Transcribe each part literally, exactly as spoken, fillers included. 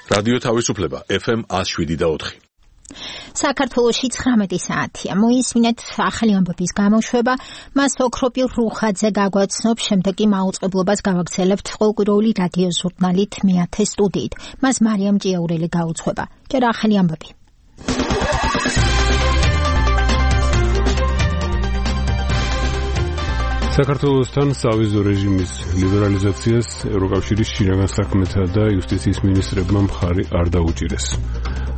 რადიო თავისუფლება ეფ ემ ათს შვიდი და ოთხი. საქართველოში ცხრამეტი საათია. მოისმინეთ ახალი ამბების გამოშვება, მას ოქროპირ რუხაძე გაგვაცნობს, შემდეგ კი მაუწყებლობას გავაგრძელებთ ყოველკვირეული რადიო ჟურნალით მეათე სტუდიით. მას მარიამ ჭიაურელი გაუძღვება. ჯერ ახალი ამბები. საქართველოსთან სავიზო რეჟიმის ლიბერალიზაციას ევროკავშირის შინაგან საქმეთა და იუსტიციის მინისტრებმა მხარი არ დაუჭირეს.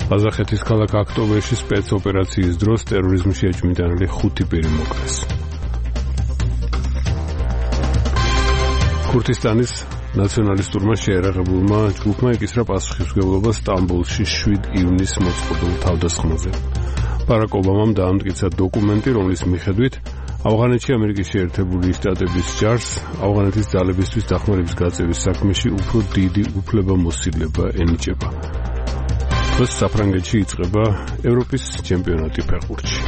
ყაზახეთის ქალაქ აქტობერში სპეცოპერაციის დროს ტერორიზმში ეჭვმიტანილი ხუთი პირი მოკლეს. ქურთისტანის ნაციონალისტურმა შეერაღებულმა ჯგუფმა ეკისრა პასუხისმგებლობა სტამბოლში შვიდ ივნისს მოწყობილ თავდასხმაზე. ბარაკ ობამამ დაამტკიცა დოკუმენტი, რომლის მიხედვით ავღანეთში ამერიკის შეერთებული შტატების ჯარს ავღანეთის ძალებისთვის დახმარების გაწევის საქმეში უფრო დიდი უფლებამოსილება ენიჭება. დღეს საფრანგეთში იწყება ევროპის ჩემპიონატი ფეხბურთში.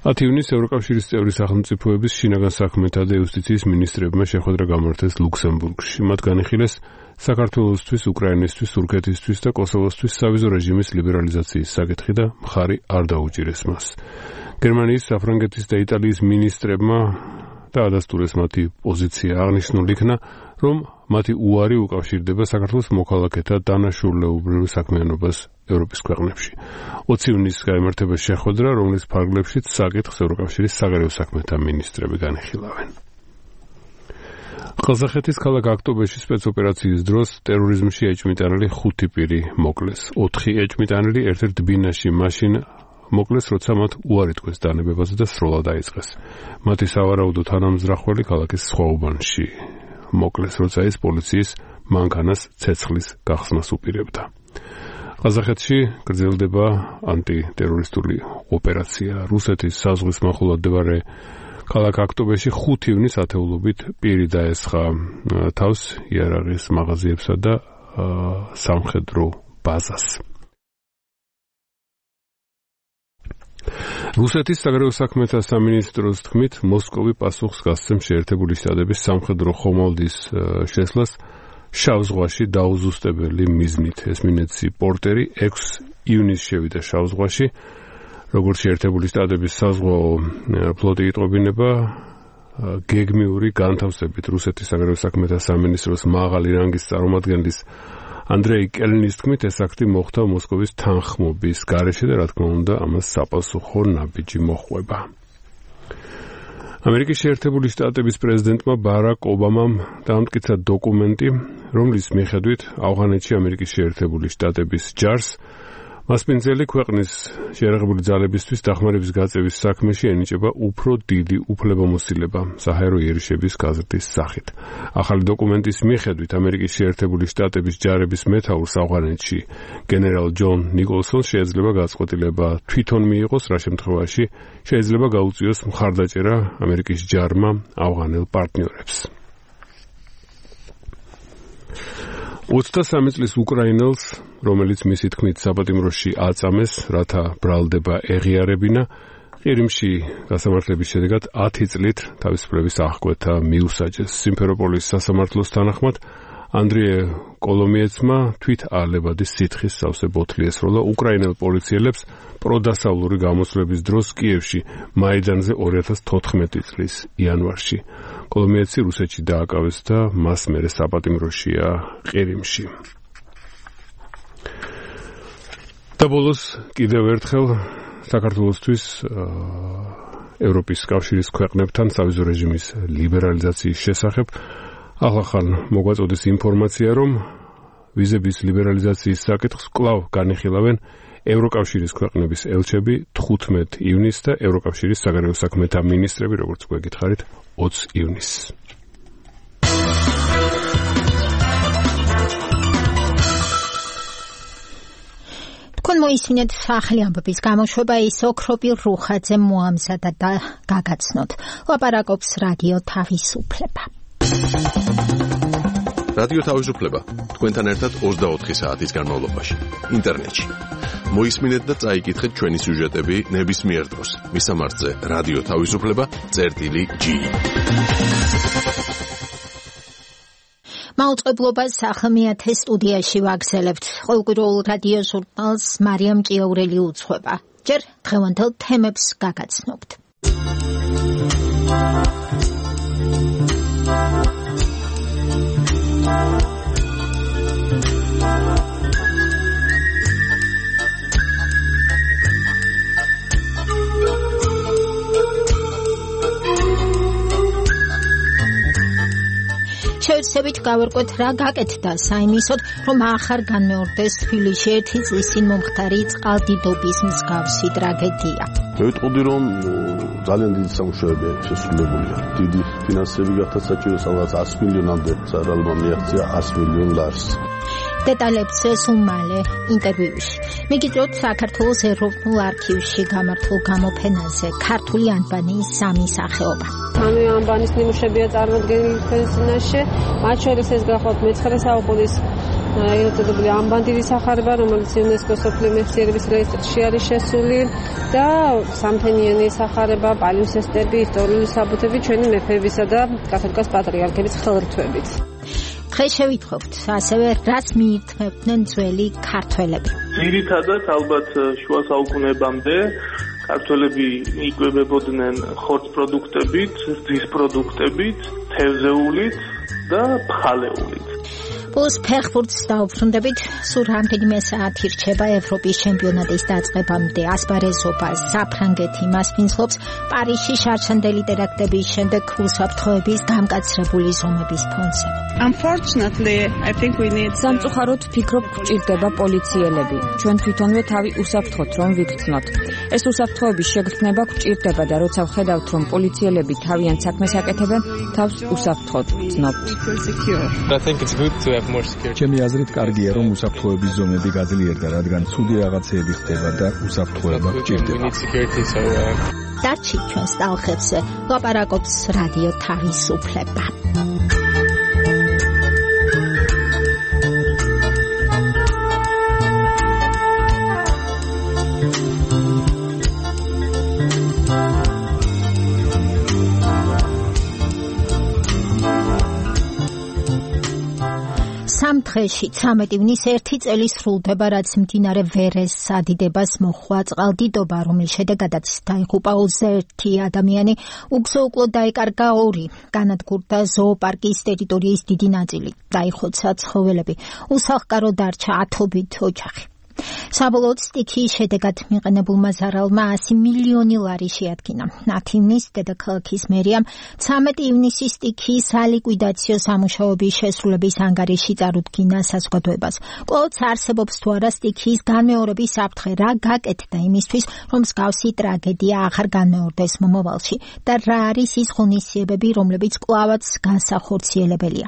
ათი ივნისს ევროკავშირის წევრი სახელმწიფოების შინაგან საქმეთა და იუსტიციის მინისტრებმა შეხვედრა გამართეს ლუქსემბურგში. მათ განიხილეს საქართველოსთვის, უკრაინისთვის, თურქეთისთვის და კოსოვოსთვის სავიზო რეჟიმის ლიბერალიზაციის საკითხი და მხარი არ დაუჭირეს მას. გერმანიის, საფრანგეთის და იტალიის მინისტრებმა დაადასტურეს მათი პოზიცია. აღნიშნულ იქნა, რომ მათი უარი უკავშირდება საქართველოს მოქალაქეთა დანაშაულებრივ საქმიანობას ევროპის ქვეყნებში. ოცი ივნისს გაიმართება შეხვედრა, რომლის ფარგლებშიც საკითხს ევროკავშირის საგარეო საქმეთა მინისტრები განიხილავენ. ყაზახეთის ქალაქ აქტობერში სპეცოპერაციის დროს ტერორიზმში ეჭვმიტანილი ხუთი პირი მოკლეს. ოთხი ეჭვმიტანილი ერთ-ერთ ბინაში მაშინ მოკლეს, როცა მათ უარი თქვეს დანებებაზე და სროლა დაიწყეს. მათი სავარაუდო თანამზრახველი ქალაქის სხვა უბანში მოკლეს, როცა ის პოლიციის მანქანას ცეცხლის გახსნას უპირებდა. ყაზახეთში გრძელდება ანტიტერორისტული ოპერაცია. რუსეთის საზღვრის მახლობლად მდებარე ქალაქ აქტობერში ხუთი ივნისს ათეულობით პირი დაესხა თავს იარაღის მაღაზიებსა და სამხედრო ბაზას. რუსეთის საგარეო საქმეთა სამინისტროს თქმით, მოსკოვი პასუხს გასცემს შეერთებული შტატების სამხედრო ხომალდის შესვლას შავ ზღვაში დაუზუსტებელი მიზნით. ესმინეცი პორტერი ექვსი ივნისს შევიდა შავ ზღვაში, როგორც შეერთებული შტატების საზღვაო ფლოტი იტყობინება გეგმიური განთავსებით. რუსეთის საგარეო საქმეთა სამინისტროს მაღალი რანგის წარმომადგენლის ანდრეი კელნის თქმით, ეს აქტი მოხდა მოსკოვის თანხმობის გარეშე და რა თქმა უნდა, ამას საპასუხო ნაბიჯი მოჰყვება. ამერიკის შეერთებული შტატების პრეზიდენტმა ბარაკ ობამამ დაამტკიცა დოკუმენტი, რომლის მიხედვით ავღანეთში ამერიკის შეერთებული შტატების ჯარს მასპინძელი ქვეყნის შეერაღებული ძალებისთვის დახმარების გაწევის საქმეში ენიჭება უფრო დიდი უფლებამოსილება საჰაერო იერიშების გაზრდის სახით. ახალი დოკუმენტის მიხედვით ამერიკის შეერთებული შტატების ჯარების მეთაურს ავღანეთში გენერალ ჯონ ნიკოლსონს შეიძლება გაწყვეტილება თვითონ მიიღოს, რა შემთხვევაში შეიძლება გაუწიოს მხარდაჭერა ამერიკის ჯარმა ავღანელ პარტნიორებს. ოცდასამი წლის უკრაინელს, რომელიც მისი თქმით საპატიმროში აწამეს, რათა ბრალდება ეღიარებინა, ყირიმში გასამართლების შედეგად ათი წლით თავისუფლების აღკვეთა მიუსაჯეს. სიმფეროპოლის სასამართლოს თანახმად ანდრიე კოლომიეცმა თვით არლებადი სითხის სავსე ბოთლი ესროლა უკრაინელ პოლიციელებს პროდასავლური გამოსვლების დროს კიევში მაიდანზე ორი ათას თოთხმეტი წლის იანვარში. კოლომიეცი რუსეთში დააკავეს და მას მერე საპატიმროშია ყირიმში. და ბოლოს კიდევ ერთხელ საქართველოსთვის ევროპის კავშირის ქვეყნებთან სავიზო რეჟიმის ლიბერალიზაციის შესახებ ახალ მოგვაწოდეს ინფორმაცია, რომ ვიზების ლიბერალიზაციის საკითხს კვლავ განიხილავენ ევროკავშირის ქვეყნების ელჩები თხუთმეტი ივნისს და ევროკავშირის საგარეო საქმეთა მინისტრები, როგორც გვეკითხარით, ოცი ივნისს. თქვენ მოისმინეთ ახალი ამბების გამოშვება, ის ოქროპირ რუხაძე მოამზადა და გაგაცნოთ. ლაპარაკობს რადიო თავისუფლება. რადიო თავისუფლება თქვენთან ერთად ოცდაოთხი საათის განმავლობაში ინტერნეტში. მოისმინეთ და წაიკითხეთ ჩვენი სიუჟეტები ნებისმიერ დროს. მისამართზე რადიო თავისუფლება წერტილი ჯი. მაუწყებლობას ახალმეათე სტუდიაში ვაგზელებთ. ყოველკვირეულ რადიო ჟურნალს მარიამ ჭიაურელი უძღვება. ჯერ დღევანდელ თემებს გაგაცნობთ. შევსებით გავერკვეთ რა გაკეთდა საიმისოდ, რომ ახარ განმეორდეს თბილისში ერთი წლის წინ მომხდარი წყალდიდობის მსგავსი ტრაგედია. მევიტყოდი, რომ ძალიან დიდი სამუშაოები შესრულებულია. დიდი ფინანსები გახდა საჭირო, სადღაც ას მილიონამდე სარალმა მიაღწია ას მილიონ ლარს. დეტალებს სულ მალე ინტერვიუში. მიგიწევთ საქართველოს ეროვნულ არქივში გამართულ გამოფენაზე ქართული ანბანის სამი სახეობა. სამი ანბანის ნიმუშებია წარმოდგენილი თქვენს წინაშე, მათ შორის ეს გახლავთ მეცხრე საუკუნის ეწოდებული ანბანდირი სახარება, რომელიც იუნესკოს მსოფლიო მეხსიერების რეესტრში არის შესული და სამთენიანი სახარება, პალიოსესტები, ისტორიული საბუთები ჩვენი მეფეებისა და კათოლიკოს პატრიარქების ხელრთვებით. დღეს შევითხოვთ ასევე რას მიირთმევდნენ ძველი ქართველები. ძირითადად ალბათ შუა საუკუნეებამდე ქართველები იკვებებოდნენ ხორცპროდუქტებით, რძის პროდუქტებით, თევზეულით და ფხალეულით. Plus ფეხბურთს დაუბრუნდებით, სულ რამდენიმე საათი რჩება ევროპის ჩემპიონატის დაწყებამდე. ასპარეზობა საფრანგეთი მასპინძლობს პარიზში შარშანდელი ტერაქტების შემდეგ უსაფრთხოების გამკაცრებული ზომების ფონზე. Unfortunately, I think we need სამწუხაროდ ვფიქრობ, გვჭირდება პოლიციელები. ჩვენ თვითონვე თავი უსაფრთხოთ რომ ვიქცნოთ. ეს უსაფრთხოების შეგრძნება გვჭირდება და როცა ვხედავთ, რომ პოლიციელები თავიანთ საქმეს აკეთებენ, თავს უსაფრთხოდ ვცნობთ. I think it's good to have more security. ჩემი აზრით კარგია რომ უსაფრთხოების ზომები გაძლიერდა, რადგან ცუდი რაღაცეები ხდება და უსაფრთხოება გვჭირდება. დარჩი ჩვენს ტალღებზე ლაპარაკობს რადიო თავისუფლება. სამ დღეში ცამეტ ივნისს ერთი წელი სრულდება, რაც მდინარე ვერეს სადიდებას მოჰყვა წყალდიდობა, რომლის შედეგადაც დაიღუპა ოცდაერთი ადამიანი, უგზო-უკლოდ დაიკარგა ორი, განადგურდა ზოოპარკის ტერიტორიის დიდი ნაწილი, დაიხოცა ცხოველები, უსახლკარო დარჩა ათობით ოჯახი. საბოლოოდ სტიქიის შედეგად მიყენებულმა ზარალმა ასი მილიონი ლარი შეადგინა. ათი ივნისს დედაქალაქის მერიამ ცამეტ ივნისის სტიქიის სალიკვიდაციო სამუშაოების შესრულების ანგარიში წარუდგინა საზოგადოებას. კვლავ არსებობს თუ არა სტიქიის განმეორების საფრთხე, რა გაკეთდა იმისთვის, რომ მსგავსი ტრაგედია აღარ განმეორდეს მომავალში და რა არის ის ღონისძიებები, რომლებიც კვლავაც განსახორციელებელია.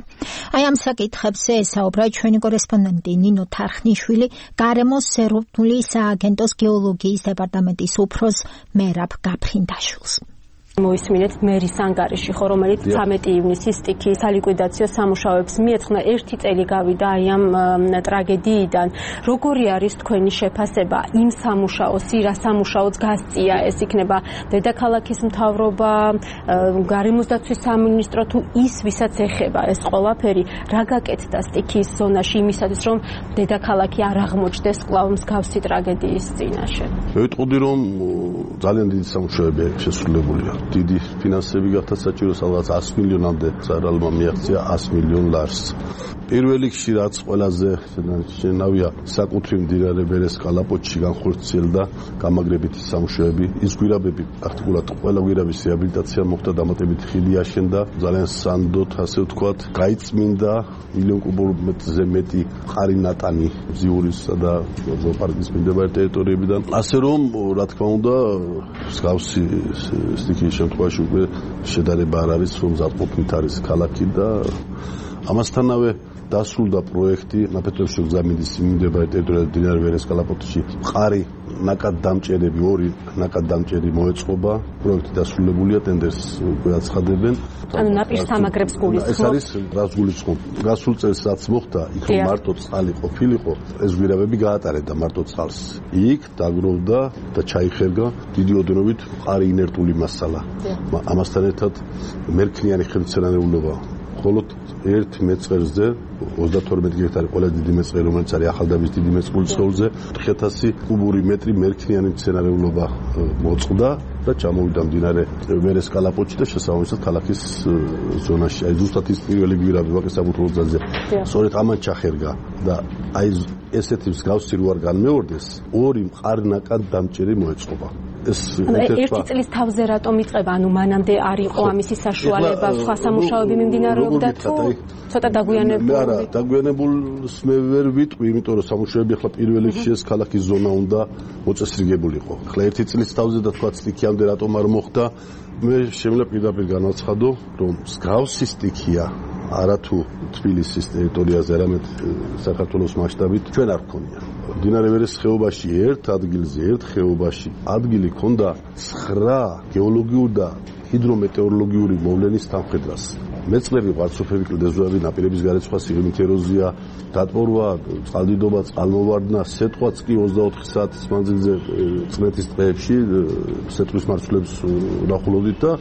აი ამ საკითხებზე ესაუბრა ჩვენი კორესპონდენტი ნინო თარხნიშვილი, გარემოს ეროვნული სააგენტოს გეოლოგიის დეპარტამენტის უფროს მერაბ გაფრინდაშვილს. მოისმინეთ მერის ანგარიში, ხო, რომელიც ცამეტ ივნისის სტიქიის სალიკვიდაციო სამუშაოებს მიეძღვნა, ერთი წელი გავიდა აი ამ ტრაგედიიდან. როგორი არის თქვენი შეფასება იმ სამუშაოს, რა სამუშაოც გასწია? ეს იქნება დედაქალაქის მთავრობა, გარემოს დაცვის სამინისტრო, თუ ის, ვისაც ეხება ეს ყველაფერი, რა გაკეთდა სტიქიის ზონაში იმისათვის, რომ დედაქალაქი არ აღმოჩნდეს კვლავ მსგავსი ტრაგედიის წინაშე? მევიტყოდი, რომ ძალიან დიდი სამუშაოები შესრულებულია. დიდი ფინანსები გახდა საჭირო, სადღაც ას მილიონამდე სარალმა მიაღწია ას მილიონ ლარს. პირველ რიგში რაც ყველაზე შენავია, საკუთრივ მდინარე ვერეს კალაპოტში განხორციელდა გამაგრებითი სამუშაოები. ის გვირაბები პრაქტიკულად ყველა გვირაბის რეაბილიტაცია მოხდა, დამატებით ხიდი აშენდა, ძალიან სანდოდ, ასე ვთქვათ, გაიწმინდა მილიონ კუბომეტრზე მეტი მყარი ნატანი ზიურისა და ზოოპარკის მიმდებარე ტერიტორიებიდან. ასე რომ, რა თქმა უნდა, მსგავსი სტიქიის შემთხვევაში უკვე შედარება არ არის, რომ ზადყოფით არის ქალაქი და ამასთანავე დასრულდა პროექტი ნაფეთრებში გზამინდის მიმდებარე ტერიტორიაზე მდინარე ვერეს კალაპოტში მყარი ნაკადდამჭერები ორი ნაკადდამჭერი მოეწყობა პროექტი დასრულებულია ტენდერს უკვე აცხადებენ ანუ ნაპირს სამაგრებს გულისხმობ ეს არის რას გულისხმობ გასულ წელს რაც მოხდა იქ რომ მარტო წყალი ყოფილიყო ეს გვირაბები გაატარებდა მარტო წყალს იქ დაგროვდა და ჩაიხერგა დიდი ოდენობით მყარი ინერტული მასალა ამასთან ერთად მერქნიანი ხელმცენარეულობა მხოლოდ ერთ მეწყერზე ოცდათორმეტი ჰექტარი ყველაზე დიდი მეწყერი რომელიც არის ახალდაბის დიდი მეწყრული სხეულზე ოთხ ათასი კუბური მეტრი მერქნიანი მცენარეულობა მოწყდა და ჩამოვიდა მდინარე ვერეს კალაპოტში და შესაბამისად ქალაქის ზონაში აი ზუსტად ის პირველი გვირაბი ვაკის საბუთლოს გზაზე სწორედ ამან ჩახერგა და აი ესეთი მსგავსი რო არ განმეორდეს ორი მყარნაკად დამჭერი მოეწყობა ეს ერთი წლის თავზე რატომ იწყება ანუ მანამდე არ იყო ამისი საშუალება სხვა სამუშაოები მიმდინარეობდა თუ ცოტა დაგვიანებული არა დაგვიანებულს მე ვერ ვიტყვი იმიტომ რომ სამუშაოები ახლა პირველ რიგში ეს ქალაქის ზონა უნდა მოწესრიგებულიყო ახლა ერთი წლის თავზე და თქვა სტიქიამდე რატომ არ მოხდა მე შემიძლია პირდაპირ განაცხადო რომ მსგავსი სტიქია არათუ თბილისის ტერიტორიაზე არამედ საქართველოს მასშტაბით ჩვენ არ გქონია მდინარე ვერეს ხეობაში ერთ ადგილზე ერთ ხეობაში ადგილი ქონდა ცხრა გეოლოგიური და ჰიდრომეტეოროლოგიური მოვლენის თანხმდას მეწყრები ღვარცოფები კლდეზოები ნაპირების გარეცხვა სიღრმით ეროზია დატბორვა წყალდიდობა წყალმოვარდნა სეტყვაც კი ოცდაოთხი საათის მანძილზე წნეთის დღეებში სეტყვის მარცვლებს ვნახულობდით და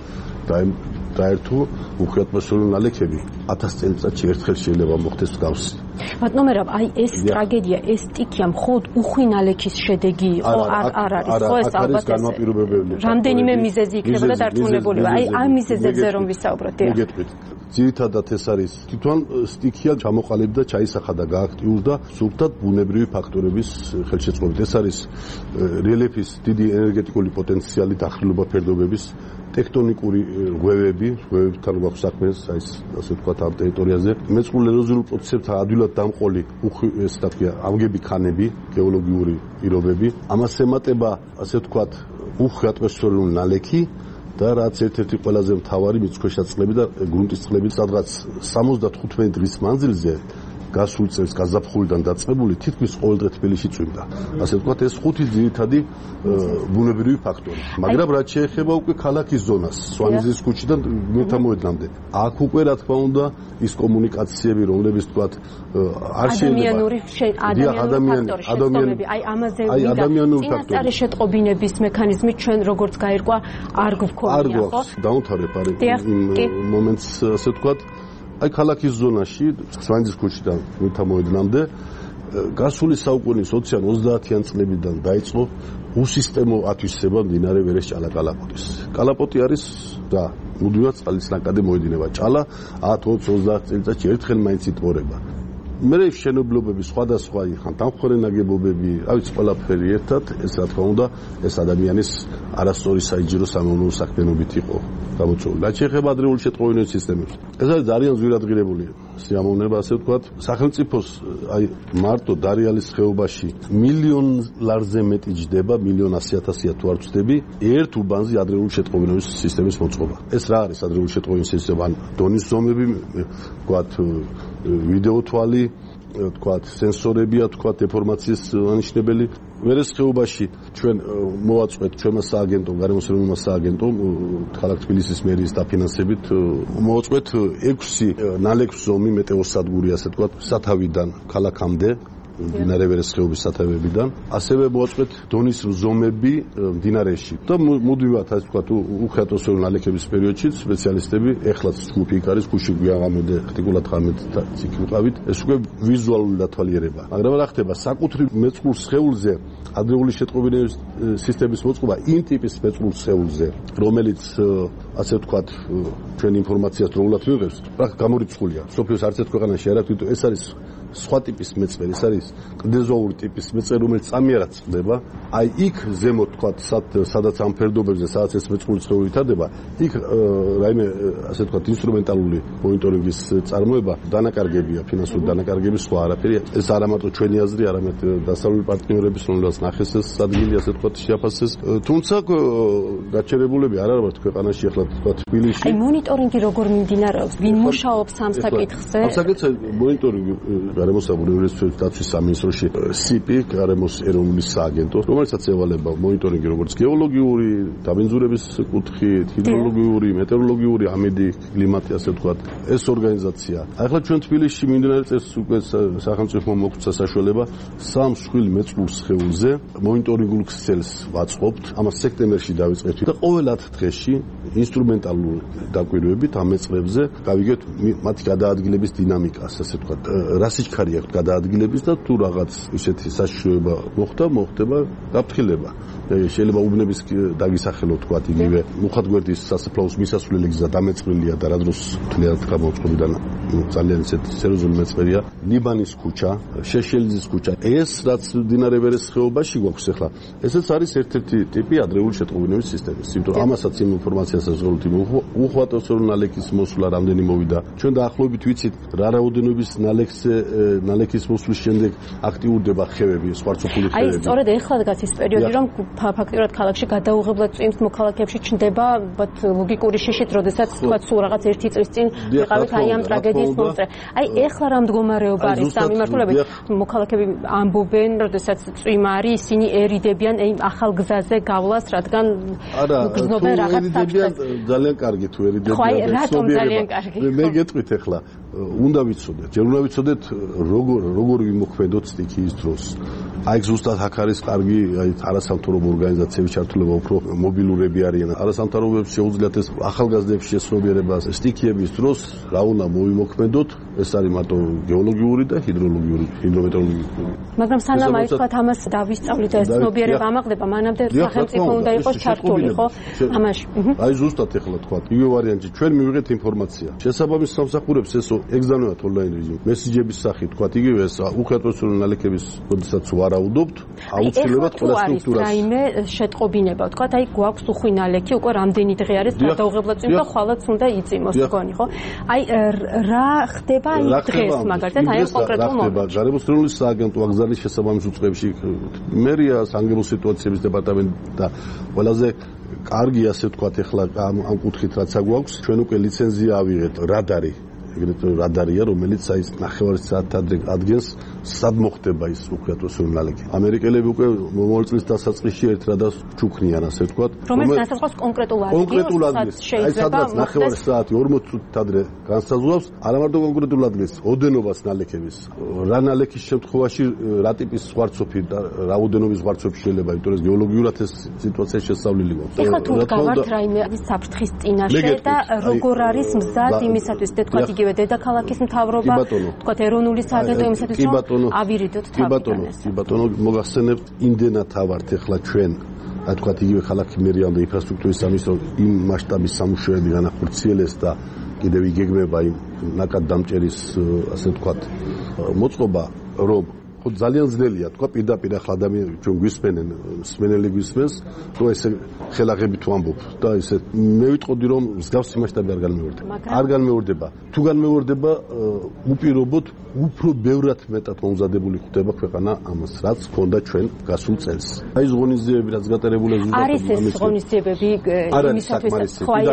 დაერთო უხეატმოსფერული ნალექები ათას წელიწადში ერთხელ შეიძლება მოხდეს მსგავსი. ბატონო, აი ეს ტრაგედია, ეს სტიქია მხოლოდ უხვი ნალექის შედეგი იყო, არ არ არის ხო ეს ალბათ ეს. რამდენიმე მიზეზი იქნება და დარწმუნებულია. აი ამ მიზეზებზე რომ ვისაუბროთ. მოგეტყვით. ძირითადად ეს არის თვითონ სტიქია ჩამოყალიბდა, ჩაისახა და გააქტიურდა სულთად ბუნებრივი ფაქტორების ხელშეწყობით. ეს არის რელიეფის დიდი ენერგეტიკული პოტენციალი, დახრილობა ფერდობების ტექტონიკური ღვევები, ღვევებთან გვაქვს საქმე, აი ასე ვთქვათ ამ ტერიტორიაზე. მეწყრულ ეროზიულ პროცესებთან ადვილად დამყოლი ეს და ქვია ამგები ქანები, გეოლოგიური პირობები. ამას ემატება ასე ვთქვათ უხვი ატმოსფერული ნალექი და რაც ერთ-ერთი ყველაზე მთავარი მიწქვეშა წყლები და გრუნტის წყლები, სადღაც სამოცდათხუთმეტი დღის მანძილზე გასულ წელს გაზაფხულიდან დაწყებული თითქმის ყოველდღე თბილისში წვიმდა. ასე ვთქვათ, ეს ხუთი ძირითადი ბუნებრივი ფაქტორი. მაგრამ რაც შეეხება უკვე ქალაქის ზონას, სვანიზის ქუჩიდან მეთამოედნამდე, აქ უკვე რა თქმა უნდა ის კომუნიკაციები, რომლებიც ვთქვათ, არ შეიძლება ადამიანური ფაქტორი, აი ამაზე ვიდა. წინასწარი შეტყობინების მექანიზმი ჩვენ როგორც გაირკვა არ გვქონია, ხო? დაუნთარებ არის იმ მომენტს, ასე ვთქვათ, აი ქალაქის ზონაში სვანიძის ქუჩიდან მითამოედნამდე გასული საუკუნის ოციან ოცდაათიან წლებიდან დაიწყო უსისტემო ათვისება მდინარე ვერეს ჭალა-კალაპოტის. კალაპოტი არის და მუდმივად წყლის ნაკადი მოედინება. ჭალა ათ ოცდაათი ოცდაათი წელიწადში ერთხელ მაინც იტბორება. მე შენობლობები სხვადასხვა ხან დამხმარე ნაგებობები, რა ვიცი ყველაფერი ერთად, ეს რა თქმა უნდა, ეს ადამიანის არასწორი საინჟინრო სამეურნეო საქმიანობით იყო გამოწვეული. რაც შეეხება ადრეული შეტყობინების სისტემებს. ეს არის ძალიან ძვირადღირებული სიამოვნება, ასე ვთქვათ, სახელმწიფოს აი მარტო დარიალის ხეობაში მილიონ ლარზე მეტი ჯდება, მილიონ ასი ათასია თუ არ ვწდები, ერთ უბანზე ადრეული შეტყობინების სისტემის მოწყობა. ეს რა არის ადრეული შეტყობინების სისტემა? ან დონის ზომები, ვთქვათ, ვიდეო თვალი, ვთქვათ, სენსორებია, ვთქვათ, დეფორმაციის ანიშნებელი. ვერეს ხეობაში ჩვენ მოვაწყვეთ ჩვენმა სააგენტომ, გარემოს ეროვნულმა სააგენტომ, ქალაქ თბილისის მერიის დაფინანსებით მოვაწყვეთ ექვსი ნალექზომი მეტეოსადგური, ასე ვთქვათ, სათავიდან ქალაქამდე. მდინარე ვერეს ხეობის სათავეებიდან, ასევე მოაწყვეთ დონის ზომები მდინარეში. და მუდმივად, ასე ვთქვათ, უხეატმოსფერული ნალექების პერიოდში სპეციალისტები, ეხლაც ჯგუფი იქ არის, გუში გვიაღამოდე, ხტიკულად ღამედ იქ ვიყავით, ეს უკვე ვიზუალური დათვალიერება. მაგრამ რა ხდება, საკუთრივ მეწყრულ სხეულზე ადრეული შეტყობინების სისტემის მოწყობა იმ ტიპის მეწყრულ სხეულზე, რომელიც ასე ვთქვათ, ჩვენ ინფორმაციას დროულად მივიღებს, რა გამორიცხულია. სოფიოს არც ერთ ქვეყანაში არ აქვს, ეს არის სხვა ტიპის მეწყერი, ეს არის კლდეზოური ტიპის მეწყერი, რომელიც წამი არ აწყდება. აი იქ ზემოთ თქვა, სადაც ამ ფერდობებზე, სადაც ეს მეწყრული ცხოველი ვითარდება, იქ რაიმე ასე თქვა ინსტრუმენტალური მონიტორინგის წარმოება დანაკარგებია, ფინანსური დანაკარგები, სხვა არაფერია. ეს არა მარტო ჩვენი აზრი, არამედ დასავლური პარტნიორების, რომელსაც ნახეს ეს ადგილი, ასე თქვა, შეაფასეს. თუმცა გაჩერებულები არ არის ქვეყანაში, ახლა თქვა თბილისში. აი მონიტორინგი როგორ მიმდინარეობს? ვინ მუშაობს ამ საკითხზე? ამ საკითხზე მონიტორინგი გარემოსაბური უნივერსიტეტის დაცვის სამინისტროში სიპი, გარემოს ეროვნული სააგენტო, რომელსაც ევალება მონიტორინგი როგორც გეოლოგიური, დაბინძურების კუთხით, ჰიდროლოგიური, მეტეოროლოგიური, ამედი, კლიმატი, ასე ვთქვათ, ეს ორგანიზაცია. ახლა ჩვენ თბილისში მიმდინარე წელს უკვე სახელმწიფო მოგცა საშუალება სამ მსხვილ მეწყრულ სხეულზე მონიტორინგულ ქსელს ვაწყობთ. ამას სექტემბერში დავიწყეთ და ყოველ ათ დღეში ინსტრუმენტალური დაკვირვებით ამ მეწყრებზე გავიგებთ მათი გადაადგილების დინამიკას, ასე ვთქვათ, რა სიჩქარე აქვს გადაადგილების და თუ რაღაც ისეთი საშიშროება მოხდა, მოხდება გაფრთხილება. შეიძლება უბნების დაგისახელო თქვათ იგივე მუხათგვერდის სასაფლაოს მისასვლელი გზა დამეწყრილია და რა დროს თლიანად გამოწყობიდან ძალიან ისეთი სერიოზული მეწყერია. ლიბანის ქუჩა, შეშელიძის ქუჩა. ეს რაც მდინარე ვერეს ხეობაში გვაქვს ახლა, ესეც არის ერთ-ერთი ტიპი ადრეული შეტყობინების სისტემის. იმიტომ რომ ამასაც იმ ინფორმაციასაც ვღებთ, უხვატოს რომ ნალექის მოსვლა რამდენი მოვიდა. ჩვენ დაახლოებით ვიცით რა რაოდენობის ნალექზე ნალექის მოსვლის შემდეგ აქტიურდება ხევები, სვარცოფული ხევები. აი სწორედ ეხლა დგას ის პერიოდი, რომ ფაქტიურად ქალაქში გადაუღებლად წვიმს, მოქალაქეებში ჩნდება ლოგიკური შიშით, როდესაც თქვა სულ რაღაც ერთი წლის წინ ვიყავით აი ამ ტრაგედიის მომწრე. აი ეხლა რა მდგომარეობა არის ამ მიმართულებით? მოქალაქეები ამბობენ, როდესაც წვიმა არის, ისინი ერიდებიან აი ახალ გზაზე გავლას, რადგან გრძნობენ რაღაც საფრთხეს. ძალიან კარგი თუ ერიდებიან. ხო, აი რატომ ძალიან კარგი? მე გეტყვით ახლა, უნდა ვიცოდეთ, ჯერ უნდა ვიცოდეთ როგორ როგორ ვიმოქმედოთ სტიქიის დროს. აი ზუსტად აქ არის კარგი, აი არასამთავრობო ორგანიზაციების ჩართულობა, უფრო მობილურები არიან. არასამთავრობოებს შეუძლიათ ეს ახალგაზრდების შესრულიერებას სტიქიების დროს რა უნდა მოვიმოქმედოთ, ეს არის მარტო გეოლოგიური და ჰიდროლოგიური, ჰიდრომეტეროლოგიური. მაგრამ სანამ აი თქვათ ამას დავისწავლით და ეს ცნობიერება ამაღლდება, მანამდე სახელმწიფო უნდა იყოს ჩართული, ხო? ამაში. აი ზუსტად ახლა თქვათ, იგივე ვარიანტი, ჩვენ მივიღეთ ინფორმაცია. შესაბამის სამსახურებს ეს ეგზავნებათ ონლაინ რეჟიმში. მესიჯების სახით თქვათ, იგივე ეს უხერხემლო ნალექების როდესაც ვარაუდობთ, აუცილებლად ყველა სტრუქტურას. აი რაიმე შეტყობინება, თქვათ, აი გვაქვს უხვი ნალექი, უკვე რამდენი დღე არის გადაუღებლად წვიმს და ხვალაც უნდა იწიმოს თქვენი, ხო? აი რა ხდება აი დღეს მაგალითად აი ამ კონკრეტულ მომენტში? გარემოს ეროვნული სააგენტო აგზავნის შესაბამის უწყებაში მერია, საგანგებო სიტუაციების დეპარტამენტი და ყველაზე კარგი ასე ვთქვათ ახლა ამ კუთხით რაც აგვაქვს, ჩვენ უკვე ლიცენზია ავიღეთ რადარი. ეგრეთ რადარია, რომელიც აი ნახევარი საათად ადგენს სად მოხდება ის უხერხემლო ნალექი. ამერიკელები უკვე მომავალ წლის დასაწყისში ერთ რადარს ჩუქნიან, ასე ვთქვათ. რომელიც დასაწყოს კონკრეტულ ადგილს, კონკრეტულ ადგილს. აი სადაც ნახევარი საათი ორმოცი წუთით ადრე განსაზღვრავს, არა მარტო კონკრეტულ ადგილს, ოდენობას ნალექების. რა ნალექის შემთხვევაში რა ტიპის ზღვარცოფი და რა ოდენობის ზღვარცოფი შეიძლება, იმიტომ რომ გეოლოგიურად ეს სიტუაცია შესწავლილი გვაქვს. ეხლა თუ გავართ რაიმე საფრთხის წინაშე და როგორ არის მზად იმისათვის, თქვათ იგივე დედაქალაქის მთავრობა, თქვათ ეროვნული სააგენტო იმისათვის, რომ ავირიდოთ თავიდან. კი ბატონო, კი ბატონო, მოგახსენებთ, იმდენად ავართ ახლა ჩვენ, რა თქვათ იგივე ქალაქი მერია და ინფრასტრუქტურის სამინისტრო იმ მასშტაბის სამუშაოები განახორციელეს და კიდევ იგეგმება იმ ნაკად დამჭერის, ასე ვთქვათ, მოწყობა, რომ ხო ძალიან ძნელია, თქვა პირდაპირ ახლა ადამიანები ჩვენ გვისმენენ, მსმენელი გვისმენს, თუ ესე ხელაღებით ვამბობ და ესე მე ვიტყოდი რომ მსგავსი მასშტაბი არ განმეორდება. არ განმეორდება. თუ განმეორდება, უპირობოდ უფრო ბევრად მეტად მომზადებული ხდება ქვეყანა ამას, რაც ჰქონდა ჩვენ გასულ წელს. აი ზღონისძიებები რაც გატარებულია ზუსტად არის ეს ზღონისძიებები იმისათვის ხო აი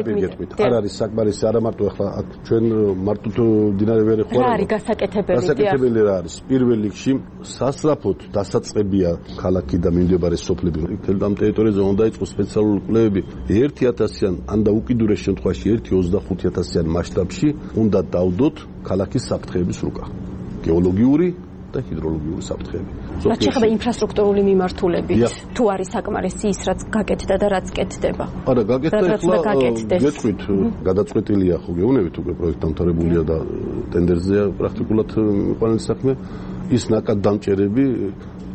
არ არის საკმარისი, არა მარტო ახლა ჩვენ მარტო მდინარე ვერე ხო რა არის გასაკეთებელი? გასაკეთებელი რა არის? პირველ რიგში სასწრაფოდ დასაწყებია ქალაქი და მიმდებარე სოფლები. თელ ამ ტერიტორიაზე უნდა იყოს სპეციალური კვლევები ერთი ათასიან ან და უკიდურეს შემთხვევაში ერთი ოცდახუთი ათასიან მასშტაბში უნდა დავდოთ ქალაქის საფრთხეების რუკა. გეოლოგიური და ჰიდროლოგიური საფრთხეები. რაც შეეხება ინფრასტრუქტურული მიმართულებით, თუ არის საკმარისი ის რაც გაკეთდა და რაც კეთდება. არა, გაკეთდა ახლა გეტყვით, გადაწყვეტილია ხო გეუბნებით უკვე პროექტი დამთავრებულია და ტენდერზეა პრაქტიკულად მიყვანილი საქმე. ის ნაკად დამჭერები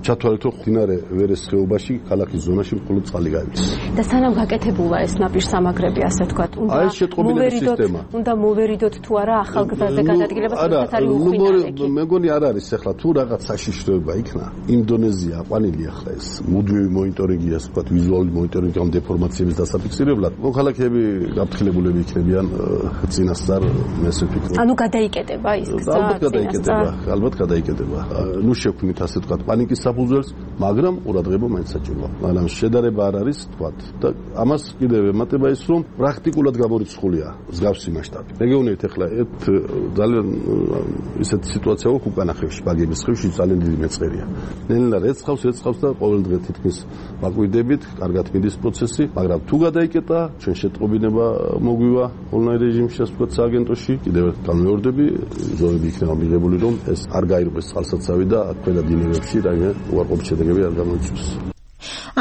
ჩათვალეთ, რომ მდინარე ვერეს ხეობაში, ქალაქის ზონაში მხოლოდ წყალი გაივლის. და სანამ გაკეთებულა ეს ნაპირსამაგრები, ასე ვთქვათ, უნდა აი ეს შეტყობინების სისტემა. უნდა მოვერიდოთ თუ არა ახალგაზრდაზე გადადგილებას, როდესაც არის უხვინარი εκεί. მეგონი არ არის ახლა თუ რაღაც საშიშროება იქნა. ინდონეზია აყვანილი ახლა ეს მუდმივი მონიტორინგია, ასე ვთქვათ, ვიზუალური მონიტორინგი ამ დეფორმაციების დასაფიქსირებლად. მოქალაქეები გაფრთხილებულები იქნებიან წინასწარ მესე ფიქრობ. ანუ გადაიკეტება ის გზა. ალბათ გადაიკეტება, ალბათ გადაიკეტება. ნუ შექმნით ასე ვთქვათ პანიკის საფუძველს, მაგრამ ყურადღება მაინც საჭიროა. მაგრამ შედარება არ არის, ვთქვათ, და ამას კიდევ ემატება ის, რომ პრაქტიკულად გამორიცხულია მსგავსი მასშტაბი. რეგიონით ახლა ერთ ძალიან ისეთი სიტუაცია აქვს უკანა ხევში, ბაგების ხევში ძალიან დიდი მეწყერია. ნელა რეცხავს, რეცხავს და ყოველ დღე თითქმის მაკვიდებით, კარგად მიდის პროცესი, მაგრამ თუ გადაიკეტა, ჩვენ შეტყობინება მოგვივა ონლაინ რეჟიმში, ასე ვთქვათ, სააგენტოში, კიდევ ერთ განმეორდები, ზოები იქნება მიღებული, რომ ეს არ გაირღვეს წყალსაცავი და ქვედა დინებებში რაიმე უარყოფით შედეგები არ გამოიწვიოს.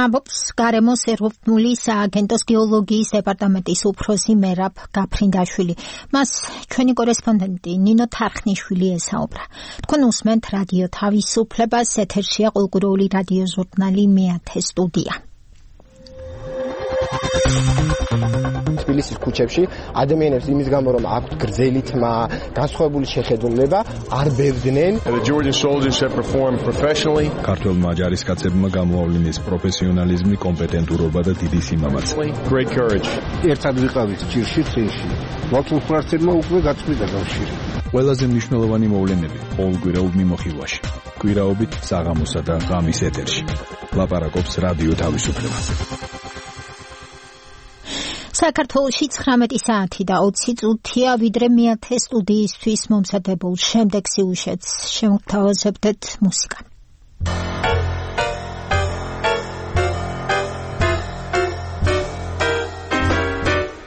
ამბობს გარემოს ეროვნული სააგენტოს გეოლოგიის დეპარტამენტის უფროსი მერაბ გაფრინდაშვილი. მას ჩვენი კორესპონდენტი ნინო თარხნიშვილი ესაუბრა. თქვენ უსმენთ რადიო თავისუფლებას, ეთერშია ყოველკვირეული რადიო ჟურნალი მეათე სტუდია. თბილისის ქუჩებში ადამიანებს იმის გამო რომ აქვთ გრძელი თმა, განსხვავებული შეხედულება, არ ბევდნენ. The Georgian soldiers have performed professionally. ქართველმა ჯარისკაცებმა გამოავლინეს პროფესიონალიზმი, კომპეტენტურობა და დიდი სიმამაცე. Great courage. ერთად ვიყავით ჭირში წინში. მართლმსვარცებმა უკვე გაწყვიტა კავშირი. ყველაზე მნიშვნელოვანი მოვლენები ყოველკვირეულ მიმოხილვაში. კვირაობით საღამოსა და ღამის ეთერში. ლაპარაკობს რადიო თავისუფლება. საქართველოში ცხრამეტი საათი და ოცი წუთია, ვიდრე მეათე სტუდიისთვის მომზადებულ შემდეგ სიუჟეტს შევთავაზებდეთ მუსიკა.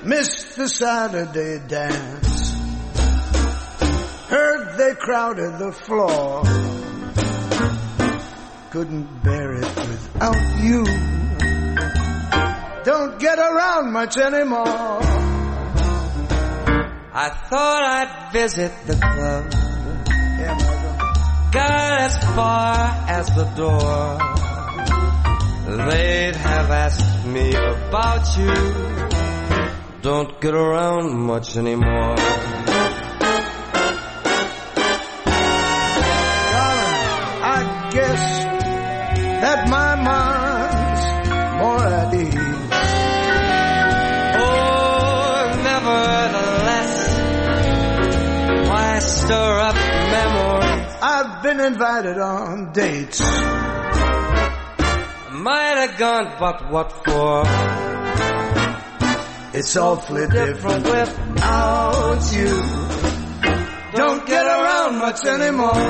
Missed the Saturday dance. Heard they crowded the floor. Couldn't bear it without you. Don't get around much anymore. I thought I'd visit the club. Got as far as the door. They'd have asked me about you. Don't get around much anymore. Darling, I guess that my mind's more at ease. Stir up memories. I've been invited on dates. Might have gone, but what for? It's awfully different without you. Don't get around much anymore.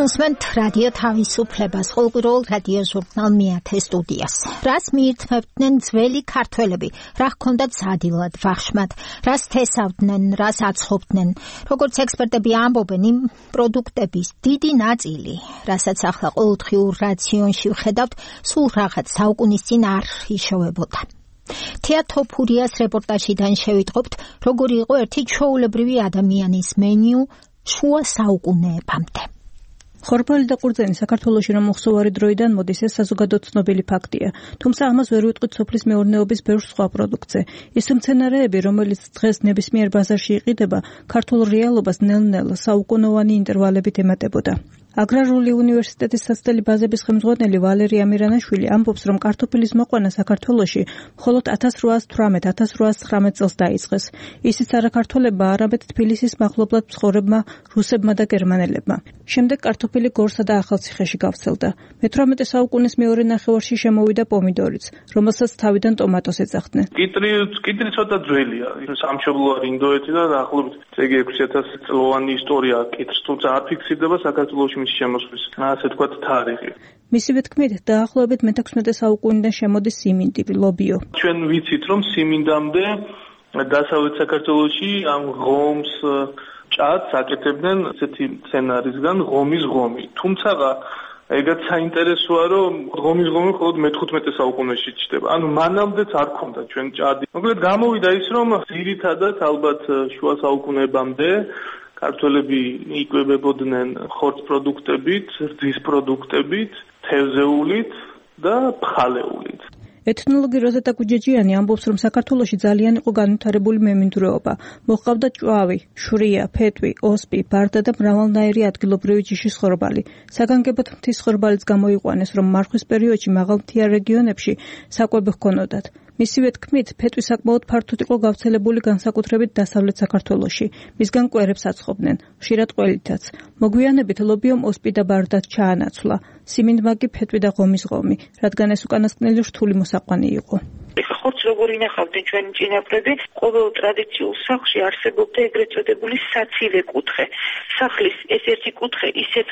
უსმენთ რადიო თავისუფლებას, ყოველკვირეულ რადიო ჟურნალ მეათე სტუდიას. რას მიირთმევდნენ ძველი ქართველები, რა ჰქონდათ სადილად, ვახშმად, რას თესავდნენ, რას აცხობდნენ. როგორც ექსპერტები ამბობენ, იმ პროდუქტების დიდი ნაწილი, რასაც ახლა ყოველდღიურ რაციონში ვხედავთ, სულ რაღაც საუკუნის წინ არ იშოვებოდა. თეატოფურიას რეპორტაჟიდან შევიტყობთ, როგორი იყო ერთი ჩვეულებრივი ადამიანის მენიუ შუა საუკუნეებამდე. ხორბალი და ყურძენი საქართველოში რომ უხსოვარი დროიდან მოდის, ეს საზოგადოდ ცნობილი ფაქტია. თუმცა ამას ვერ ვიტყვით სოფლის მეურნეობის ბევრ სხვა პროდუქტზე. ის მცენარეები, რომელიც დღეს ნებისმიერ ბაზარში იყიდება, ქართულ რეალობას ნელ-ნელა საუკუნოვანი ინტერვალებით ემატებოდა. აგრარული უნივერსიტეტის საცდელი ბაზების ხელმძღვანელი ვალერი ამირანაშვილი ამბობს, რომ კარტოფილის მოყვანა საქართველოში მხოლოდ ათას რვაას თვრამეტ ათას რვაას ცხრამეტ წელს დაიწყეს. ისიც არა ქართველებმა, არამედ თბილისის მახლობლად მცხოვრებმა რუსებმა და გერმანელებმა. შემდეგ კარტოფილი გორსა და ახალციხეში გავრცელდა. მეთვრამეტე საუკუნის მეორე ნახევარში შემოვიდა პომიდორიც, რომელსაც თავიდან ტომატოს ეძახდნენ. კიტრი კიტრი ცოტა ძველია. სამშობლოა ინდოეთი და დაახლოებით ეგ ექვსი ათასი წლოვანი ისტორია კიტრს, თუმცა არ ფიქსირდება საქართველოში მის შემოსვლის, ასე თქვათ, თარიღი. მისივე თქმით, დაახლოებით მეთექვსმეტე საუკუნიდან შემოდის სიმინდი, ლობიო. ჩვენ ვიცით, რომ სიმინდამდე დასავლეთ საქართველოში ამ ღომს ჭადს აკეთებდნენ ესეთი სცენარისგან ღომის ღომი. თუმცა ეგაც საინტერესოა, რომ ღომის ღომი მხოლოდ მეთხუთმეტე საუკუნეში ჩნდება. ანუ მანამდეც არ ქონდა ჩვენ ჭადი. მოკლედ გამოვიდა ის, რომ ძირითადად ალბათ შუა საუკუნეებამდე ქართველები იკვებებოდნენ ხორცს პროდუქტებით, რძის პროდუქტებით, თევზეულით და ფხალეულით. ეთნოლოგი როზეტა კუჯეჯიანი ამბობს, რომ საქართველოში ძალიან იყო განვითარებული მემინდვრეობა. მოჰყავდა ჭვავი, შვრია, ფეტვი, ოსპი, ბარდა და მრავალნაირი ადგილობრივი ჯიშის ხორბალი. საგანგებოდ მთის ხორბალიც გამოიყვანეს, რომ მარხვის პერიოდში მაღალმთიან რეგიონებში საკვები ჰქონოდათ. მისივე თქმით, ფეტვი საკმაოდ ფართოდ იყო გავრცელებული განსაკუთრებით დასავლეთ საქართველოში. მისგან კვერებს აცხობდნენ, ხშირად ყველითაც. მოგვიანებით ლობიომ ოსპი და ბარდაც ჩაანაცვლა. სიმინდმა კი ფეტვი და ღომის ღომი, რადგან ეს უკანასკნელი რთული მოსაყვანი იყო. ხორცს როგორ ინახავდნენ ჩვენი წინაპრები, ყოველ ტრადიციულ სახლში არსებობდა ეგრეთ წოდებული საცილე კუთხე. სახლის ეს ერთი კუთხე ისეთ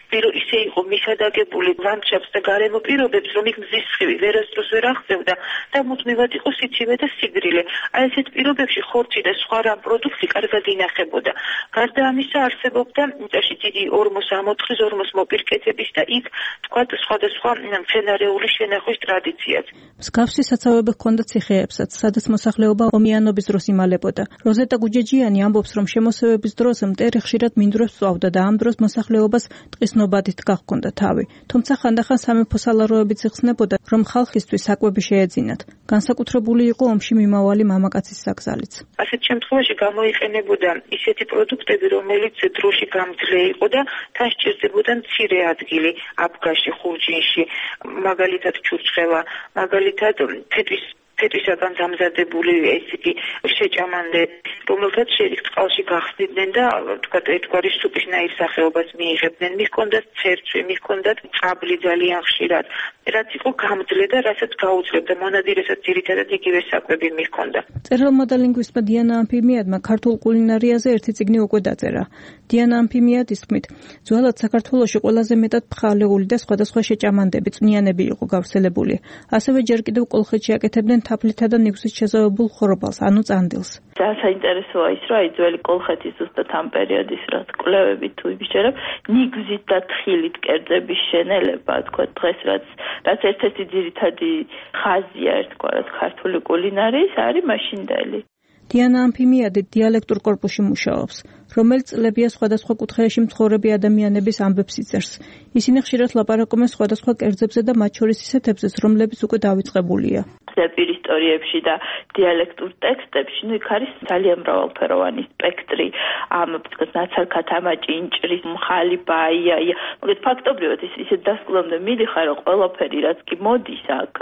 პირო ისე იყო მისადაგებული ლანდშაფტს და გარემო პირობებს, რომ იქ მზის სხივი ვერასდროს ვერ აღწევდა და მუდმივად იყო სიცივე და სიძრილე. აი ესეთ პირობებში ხორცი და სხვა რამ პროდუქტი კარგად ინახებოდა. გარდა ამისა არსებობდა მიწაში დიდი ორმოს ამოთხრის, ორმოს მოპირკეთების და იქ თქვათ სხვადასხვა მცენარეული შენახვის ტრადიციაც. მსგავსი საცავები ჰქონდა ციხეებსაც, სადაც მოსახლეობა ომიანობის დროს იმალებოდა. როზეტა გუჯეჯიანი ამბობს, რომ შემოსევების დროს მტერი ხშირად მინდვრებს წვავდა და ამ დროს მოსახლეობას ტყის ნობადით გახქონდა თავი. თუმცა ხანდახან სამეფო სალაროებიც იხსნებოდა, რომ ხალხისთვის საკვები შეეძინათ. განსაკუთრებული იყო ომში მიმავალი მამაკაცის საგზალიც. ასეთ შემთხვევაში გამოიყენებოდა ისეთი პროდუქტები, რომელიც დროში გამძლე იყო და თან სჭირდებოდა მცირე ადგილი აბგაში, ხურჯინში, მაგალითად ჩურჩხელა, მაგალითად თეთრის თეთრისაგან დამზადებული ეს იგი შეჭამანდე, რომელთაც შეერიგ წყალში გახსნიდნენ და თქვათ ერთგვარი სუპისნაირ სახეობას მიიღებდნენ. მიჰქონდათ ცერცვი, მიჰქონდათ წაბლი ძალიან ხშირად, რაც იყო გამძლე და რასაც გაუძლებდა მონადირესაც ძირითადად იგივე საკვები მიჰქონდა. მწერალმა და ლინგვისტმა დიანა ამფიმიადმა ქართულ კულინარიაზე ერთი წიგნი უკვე დაწერა. დიანა ამფიმიადის თქმით, ძველად საქართველოში ყველაზე მეტად ფხალეული და სხვადასხვა შეჭამანდები, წვნიანები იყო გავრცელებული. ასევე ჯერ კიდევ კოლხეთში აკეთებდნენ თაფლითა და ნიგვზით შეზავებულ ხორბალს, ანუ წანდილს. ძალიან საინტერესოა ის, რომ აი ძველი კოლხეთის ზუსტად ამ პერიოდის რაც კვლევები თუ იბიჭერებ, ნიგვზით და თხილით კერძების შენელება, თქვა დღეს რაც რაც ერთ-ერთი ძირითადი ხაზია ერთგვარად ქართული კულინარიის, არის მაშინდელი. დიანა ამფიმიადი დიალექტურ კორპუსში მუშაობს, რომელიც წლებია სხვადასხვა კუთხეებში მცხოვრები ადამიანების ამბებს იწერს. ისინი ხშირად ლაპარაკობენ სხვადასხვა კერძებზე და მათ შორის ისეთებზეც, რომლებიც უკვე დავიწყებულია. ზეპირ ისტორიებში და დიალექტურ ტექსტებში, ну იქ არის ძალიან მრავალფეროვანი სპექტრი, ამ თქოს ნაცარქათა ჭინჭრის, მხალი, ბაია, მაგრამ ფაქტობრივად ის ისე დასკვნამდე მიდიხარ, რომ ყველაფერი რაც კი მოდის აქ,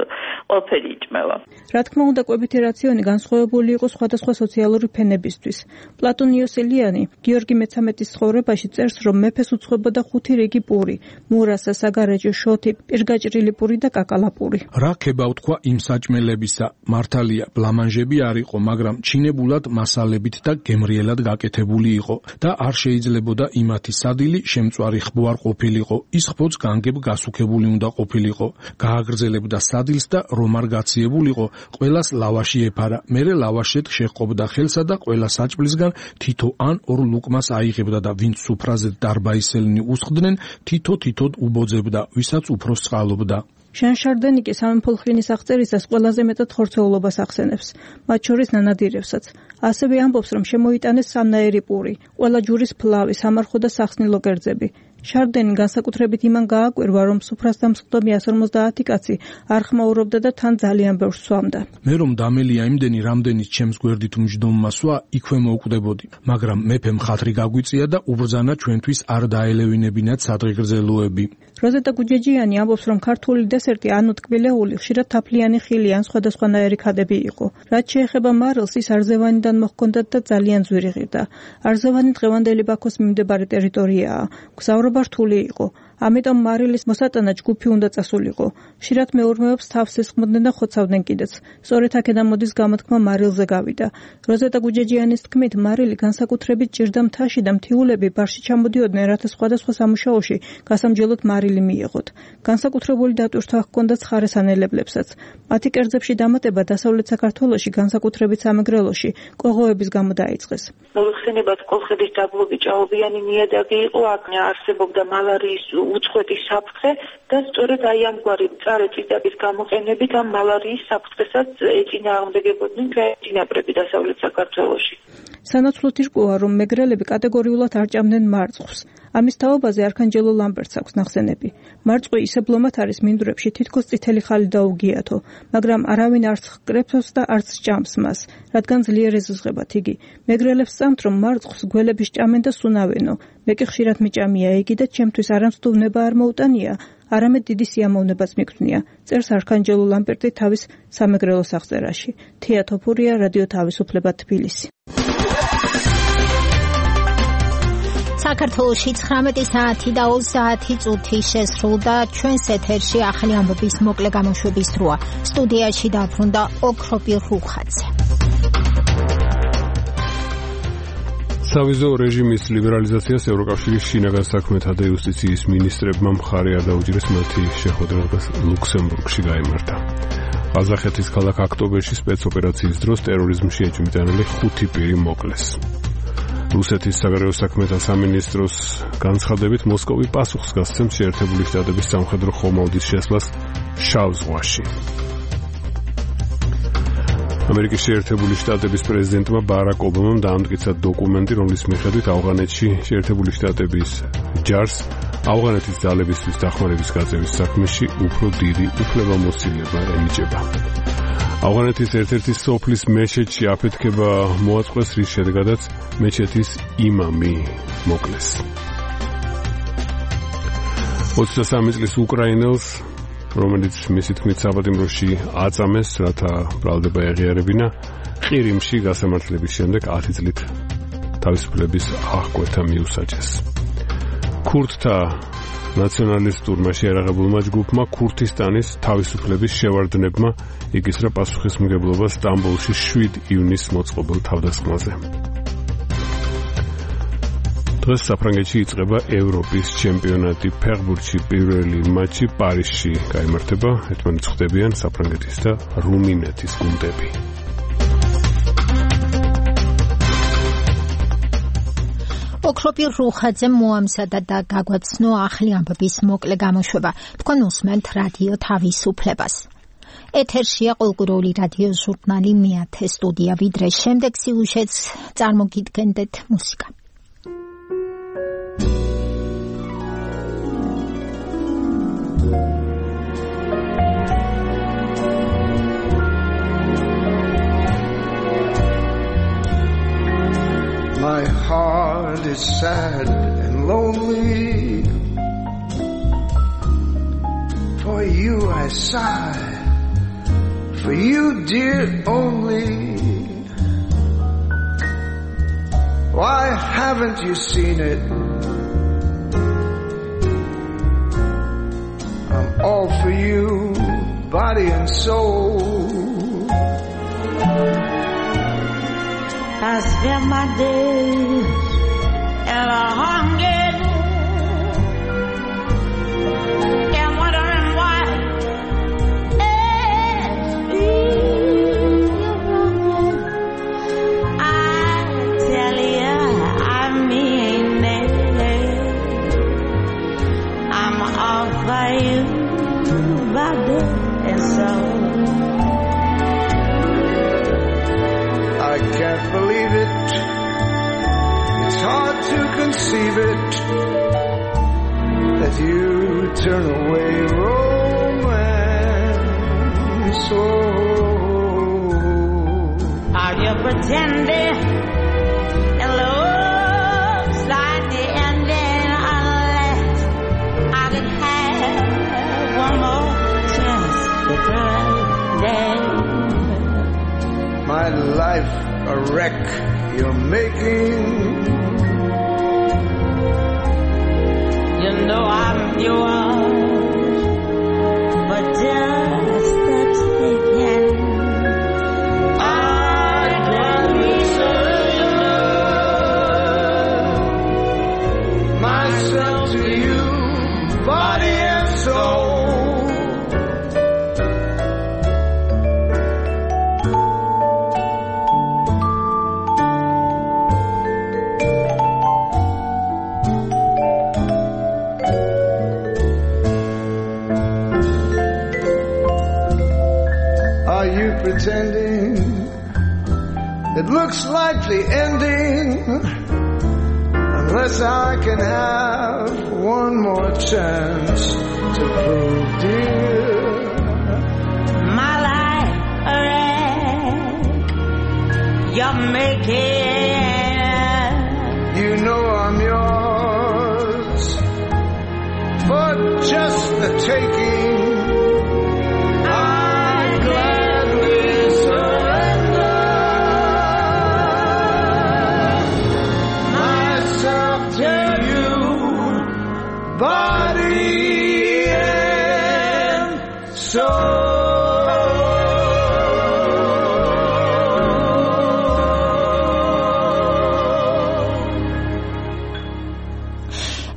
ყველაფერი იჭმევა. რა თქმა უნდა, კვებითი რაციონი განსხვავებული იყო სხვადასხვა სოციალური ფენებისთვის. პლატონ იოსელიანი გიორგი მეცამეტის ცხოვრებაში წერს, რომ მეფეს უცხებოდა ხუთი რიგი პური: მურასა, საგარეჯო, შოთი, პირგაჭრილი პური და კაკალაპური. რა ქება უთქვა იმ საჭმელებისა, მართალია, ბლამანჟები არ იყო, მაგრამ ჩინებულად მასალებით და გემრიელად გაკეთებული იყო და არ შეიძლებოდა იმათი სადილი შემწვარი ხბო არ ყოფილიყო, ის ხბოც განგებ გასუქებული უნდა ყოფილიყო. გააგრძელებდა სადილს და რომ არ გაციებულიყო, ყველას ლავაში ეფარა, მერე ლავაშეთ შეჰყობდა ხელსა და ყველა საჭმლისგან თითო ან ორ ლუკმას აიღებდა და ვინც სუფრაზე დარბაისელნი უსხდნენ, თითო-თითოდ უბოძებდა, ვისაც უფრო სწყალობდა. შან შარდენი კი სამეფო-ლხინის აღწერისას ყველაზე მეტად ხორცეულობას ახსენებს, მათ შორის ნანადირევსაც. ასევე ამბობს, რომ შემოიტანეს სამნაირი პური, ყველა ჯურის ფლავი, სამარხო და სახსნილო კერძები. შარდენი განსაკუთრებით იმან გააკვირვა, რომ სუფრასთან მსხდომი εκατს ორმოცდაათი კაცი არ ხმაურობდა და თან ძალიან ბევრს სვამდა. მე რომ დამელია იმდენი, რამდენიც ჩემს გვერდით უმჯდომმა სვა, იქვე მოვკვდებოდი, მაგრამ მეფემ ხათრი გაგვიწია და უბრძანა ჩვენთვის არ დაელევინებინათ სადღეგრძელოები. როზეტა გუჯეჯიანი ამბობს, რომ ქართული დესერტი ანუ ტკბილეული ხშირად თაფლიანი ხილი ან სხვადასხვანაირი ქადები იყო. რაც შეეხება მარილს, ის არზევანიდან მოჰქონდათ და ძალიან ძვირი ღირდა. არზევანი დღევანდელი ბაქოს მიმდებარე ტერიტორიაა. გზავრობა რთული იყო. ამიტომ მარილის მოსატანა ჯგუფი უნდა წასულიყო. ხშირად მეურმეობს თავს ესხმოდნენ და ხოცავდნენ კიდეც. სწორედ აქედან მოდის გამოთქმა მარილზე გავიდა. როზეტა გუჯეჯიანის თქმით, მარილი განსაკუთრებით ჭირდა მთაში და მთიულები ბარში ჩამოდიოდნენ, რათა სხვადასხვა სამუშაოში გასამჯელოდ მარილი მიეღოთ. განსაკუთრებული დატვირთვა ჰქონდათ ცხარესანელებლებსაც. მათი კერძებში დამატება დასავლეთ საქართველოში, განსაკუთრებით სამეგრელოში, კოღოების გამო დაიწყეს. მოიხსენებათ კოლხეთის დაბლობი ჭაობიანი ნიადაგი იყო, აქ არსებობდა მალარიის უწყვეტი საფრთხე და სწორედ აი ამგვარი მწარე წიდების გამოყენებით ამ მალარიის საფრთხესაც ეწინააღმდეგებოდნენ კრეატინაბრები დასავლეთ საქართველოში. სანაცვლოდ ირკვევა, რომ მეგრელები კატეგორიულად არ ჭამდნენ მარწყვს. ამის თაობაზე არქანჯელო ლამბერტს აქვს ნახსენები. მარწყვი ისე ბლომად არის მინდვრებში, თითქოს წითელი ხალი დაუგიათო, მაგრამ არავინ არც ჰკრეფოს და არც ჭამს მას, რადგან ძლიერ ეზიზღებათ იგი. მეგრელებს სწამთ, რომ მარწყვს გველები სჭამენ და სუნავენო. მე კი ხშირად მიჭამია იგი და ჩემთვის არამსტუბნება არ მოუტანია, არამედ დიდი სიამოვნებაც მიგვდნია. წერს არქანჯელო ლამბერტი თავის სამეგრელო სახწერაში. თია თოფურია, რადიო თავისუფლება, თბილისი. საქართველოში ცხრამეტი საათი და ოცდაათი წუთი შესრულდა. ჩვენს ეთერში ახალი ამბების მოკლე გამოშვების დროა. სტუდიაში დაბრუნდა ოქროპი რუხაძე. სავიზო რეჟიმის ლიბერალიზაციას ევროკავშირის შინაგან საქმეთა და იუსტიციის მინისტრებმა მხარი არ დაუჭირეს, მათი შეხვედრა ლუქსემბურგში გაიმართა. ყაზახეთის ქალაქ ოქტომბერში სპეცოპერაციის დროს ტერორიზმში ეჭვმიტანილი ხუთი პირი მოკლეს. რუსეთის საგარეო საქმეთა სამინისტროს განცხადებით, მოსკოვი პასუხს გასცემს შეერთებული შტატების სამხედრო ხომალდის შესვლას შავ ზღვაში. ამერიკის შეერთებული შტატების პრეზიდენტმა ბარაკ ობამამ დაამტკიცა დოკუმენტი, რომლის მიხედვით ავღანეთში შეერთებული შტატების ჯარს ავღანეთის ძალებისთვის დახმარების გაწევის საქმეში უფრო დიდი უფლებამოსილება ენიჭება. ავღანეთის ერთ-ერთი სოფლის მეჩეთში აფეთქება მოაწყვეს, რის შედეგადაც მეჩეთის იმამი მოკლეს. ოცდასამი წლის უკრაინელს, რომელიც მისი თქმით საბატიმროში აწამეს, რათა ბრალდება ეღიარებინა, ყირიმში გასამართლების შემდეგ ათი წლით თავისუფლების აღკვეთა მიუსაჯეს. ქურთთა ნაციონალისტურმა შეიარაღებულმა ჯგუფმა ქურთისტანის თავისუფლების შევარდნებმა იგისრა პასუხისმგებლობა სტამბოლში შვიდ ივნისს მოწყობილ თავდასხმაზე. დღეს საფრანგეთში იწყება ევროპის ჩემპიონატი. ფეხბურთში პირველი მატჩი პარიზში გაიმართება. ერთმანეთს ხვდებიან საფრანგეთის და რუმინეთის გუნდები. ოქროპი რუხაძე მოამზადა და გაგვაცნო ახალი ამბების მოკლე გამოშვება. თქვენ უსმენთ რადიო თავისუფლებას. ეთერშია ყოველკვირეული რადიო ჟურნალი მეათე სტუდია. ვიდრე შემდეგ სიუჟეტს წარმოგიდგენდეთ მუსიკა. My heart is sad and lonely. For you I sigh, for you dear only. Why haven't you seen it? I'm all for you, body and soul. I spend my days in a hunger and wondering why it's me. I tell you, I mean it. I'm all for you, body and soul. I can't believe it. It's hard to conceive it. with you turn away romance. Oh, are you pretending it looks like the ending unless I can have one more chance to pretend? My life a wreck you're making. You know I'm yours, but just the taking. I'd gladly surrender myself to you, body and soul. Pretending it looks like the ending unless I can have one more chance to prove, dear, my life a wreck you're making. You know I'm yours for just the taking. Body and soul.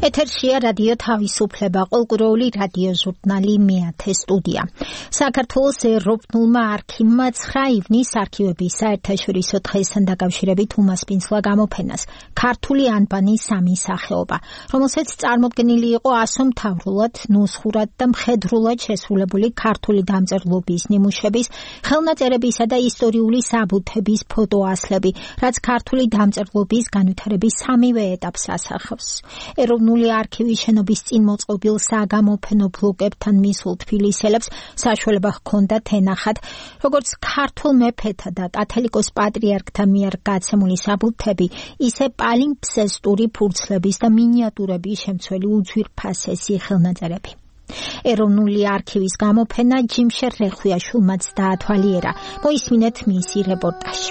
ეთერშია რადიო თავისუფლება, ყოველკვირეული რადიო ჟურნალი მეათე სტუდია. საქართველოს ეროვნულმა არქივმა ცხრა ივნის არქივების საერთაშორისო დღესთან დაკავშირებით უმასპინძლა გამოფენას ქართული ანბანის სამი სახეობა, რომელსაც წარმოდგენილი იყო ასომთავრულად, ნუსხურად და მხედრულად შესრულებული ქართული დამწერლობის ნიმუშების, ხელნაწერებისა და ისტორიული საბუთების ფოტოასლები, რაც ქართული დამწერლობის განვითარების სამივე ეტაპს ასახავს. ეროვნული არქივის შენობის წინ მოწყობილ საგამოფენო ბლოკებთან მისულ თბილისელებს საშუალება ჰქონდათ ენახათ, როგორც ქართულ მეფეთა და კათოლიკოს პატრიარქთა მიერ გაცემული საბუთები, ისე პალიმპსესტური ფურცლების და მინიატურების შემცველი უძვირფასესი ხელნაწერები. ეროვნული არქივის გამოფენა ჯიმშერ რეხვიაშვილმაც დაათვალიერა. მოისმინეთ მისი რეპორტაჟი.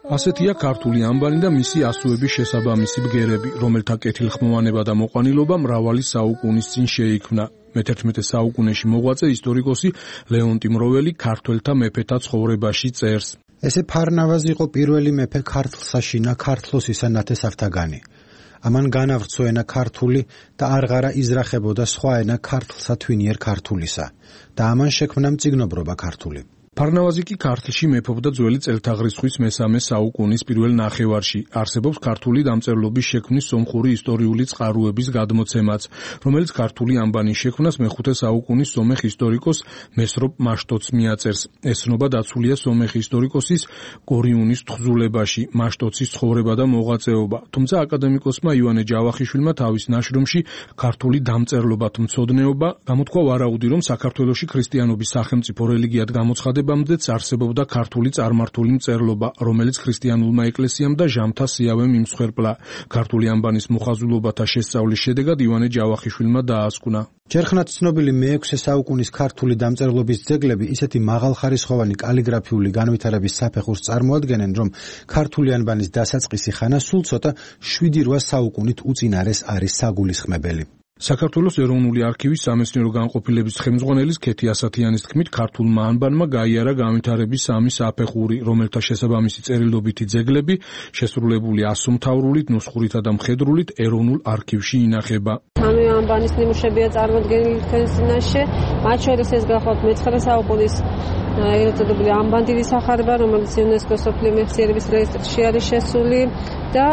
ასეთია ქართული ანბანი და მისი ასოების შესაბამისი ბგერები, რომელთა კეთილხმოვანება და მოყვანილობა მრავალი საუკუნის წინ შეიქმნა. მეთერთმეტე საუკუნეში მოღვაწე ისტორიკოსი ლეონტი მროველი ქართველთა მეფეთა ცხოვრებაში წერს. ესე ფარნავაზი იყო პირველი მეფე ქართლსაშინა ქართლოსისა ნათესავთაგანი. ამან განავრცო ენა ქართული და არღარა იზრახებოდა სხვა ენა ქართლსა თვინიერ ქართულისა და ამან შექმნა მწიგნობრობა ქართული. ფარნავაზი კი ქართლში მეფობდა ძველი წელთაღრიცხვის მესამე საუკუნის პირველ ნახევარში. არსებობს ქართული დამწერლობის შექმნის სომხური ისტორიული წყაროების გადმოცემაც, რომელიც ქართული ანბანის შექმნას მეხუთე საუკუნის სომეხ ისტორიკოს მესროპ მაშტოც მიაწერს. ეს ცნობა დაცულია სომეხ ისტორიკოსის კორიუნის თხზულებაში, მაშტოცის ცხოვრება და მოღვაწეობა. თუმცა აკადემიკოსმა ივანე ჯავახიშვილმა თავის ნაშრომში ქართული დამწერლობათმცოდნეობა გამოთქვა ვარაუდი, რომ საქართველოში ქრისტიანობის სახელმწიფო რელიგიად გამოცხადება მდეც არსებობდა ქართული წარმართული მწერლობა, რომელიც ქრისტიანულმა ეკლესიამ და ჟამთა სიავემ იმსხვერპლა. ქართული ანბანის მოხაზულობათა შესწავლის შედეგად ივანე ჯავახიშვილმა დაასკვნა. ჯერხნად ცნობილი მეექვსე საუკუნის ქართული დამწერლობის ძეგლები ისეთი მაღალხარისხოვანი კალიგრაფიული განვითარების საფეხურს წარმოადგენენ, რომ ქართული ანბანის დასაწყისი ხანა სულ ცოტა შვიდი რვა საუკუნით უწინარეს არის საგულისხმებელი. საქართველოს ეროვნული არქივის სამეცნიერო განყოფილების ხელმძღვანელის ქეთი ასათიანის თქმით, ქართულმა ანბანმა გაიარა განვითარების სამი საფეხური, რომელთა შესაბამისი წერილობითი ძეგლები შესრულებული ასომთავრულით, ნუსხურითა და მხედრულით ეროვნულ არქივში ინახება. სამი ანბანის ნიმუშებია წარმოდგენილი თქვენს წინაშე, მათ შორის ეს გახლავთ მეცხრე საუკუნის ეგრეთ წოდებული ანბანდილი სახარება, რომელიც იუნესკოს მსოფლიო მეხსიერების რეესტრში არის შესული. და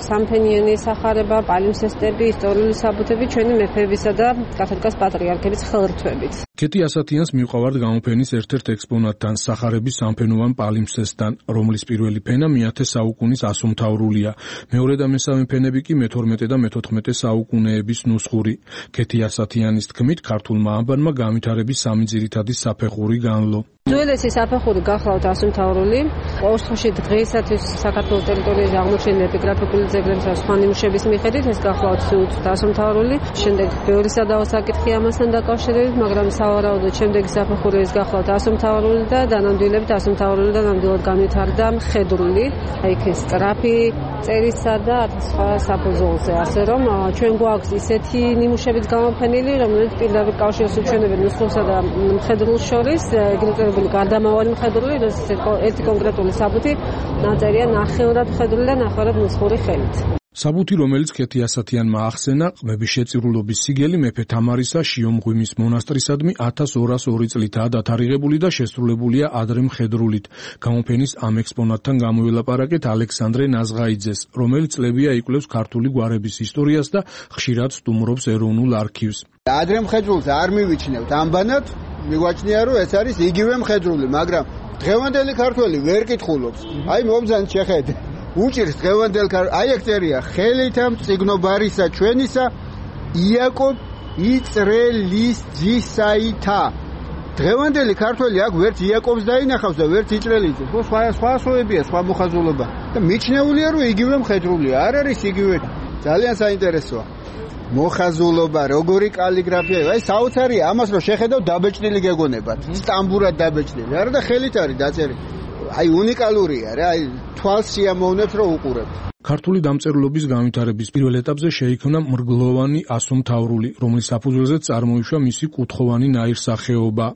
სამფენიანი სახარება, პალიმსესტები, ისტორიული საბუთები ჩვენი მეფეებისა და კათოლიკოს პატრიარქების ხელრთვებით. კეთი ასათიანს მივყავართ გამოფენის ერთ-ერთ ექსპონატთან, სახარების სამფენოვან პალიმსესტთან, რომლის პირველი ფენა მეათე საუკუნის ასომთავრულია. მეორე და მესამე ფენები კი მეთორმეტე და მეთოთხმეტე საუკუნეების ნუსხური. კეთი ასათიანის თქმით, ქართულმა ანბანმა განვითარების სამი ძირითადი საფეხური განლო. ძველესი საფეხური გახლავთ ასომთავრული, ყოველდღიურში დღეისათვის საქართველოს ტერიტორიაზე აღმოჩენილი ეპიგრაფიკული ძეგლების და სხვა ნიმუშების მიხედვით ეს გახლავთ სულ ასომთავრული. შემდეგ ბევრი სადავო საკითხი ამასთან დაკავშირებით, მაგრამ სავარაუდოდ შემდეგი საფეხური ეს გახლავთ ასომთავრული და დანამდვილებით ასომთავრული და ნამდვილად განვითარდა მხედრული, აი ეს სტრაფი წერისა და სხვა საფუძველზე, ასე რომ ჩვენ გვაქვს ისეთი ნიმუშებიც გამოფენილი, რომელიც პირდაპირ კავშირს უჩვენებენ ნუსხურსა და მხედრულს შორის, ეგრეთ გარდამავალი მხედრული, როდესაც ერთი კონკრეტული საბუთი ნაწერია ნახევრად მხედრული და ნახევრად ნუსხური ხელით. საბუთი, რომელიც კეთი ასათიანმა ახსენა, ყმების შეწირულობის სიგელი მეფე თამარისა შიომღვიმის მონასტრისადმი ათას ორას ორი წლითაა დათარიღებული და შესრულებულია ადრე მხედრულით. გამოფენის ამ ექსპონატთან გამოველაპარაკეთ ალექსანდრე ნაზღაიძეს, რომელიც წლებია იკვლევს ქართული გვარების ისტორიას და ხშირად სტუმრობს ეროვნულ არქივს. ადრე მხედრულს არ მივიჩნევთ ამბანად, მიგვაჩნია რომ ეს არის იგივე მხედრული, მაგრამ დღევანდელი ქართველი ვერ კითხულობს. აი მომზადეთ შეხედე. უჭირს დღევანდელ აი ეგ წერია ხელითა მწიგნობარისა ჩვენისა იაკობ იწრელის ძისაითა. დღევანდელი ქართველი აქ ვერც იაკობს დაინახავს და ვერც იჭრელიძეს. სხვა სხვა ასოებია, სხვა მოხაზულობა. და მიჩნეულია რომ იგივე მხედრულია, არ არის იგივე. ძალიან საინტერესოა. მოხაზულობა, როგორი კალიგრაფია, აი საოცარია, ამას რომ შეხედავ დაბეჭდილი გეგონებათ. სტამბურად დაბეჭდილი. არა და ხელით არის დაწერილი. აი უნიკალურია რა, აი თვალს სიამოვნებს რომ უყურებ. ქართული დამწერლობის განვითარების პირველ ეტაპზე შეიქმნა მრგლოვანი ასომთავრული, რომლის საფუძველზე წარმოიშვა მისი კუთხოვანი ნაირსახეობა.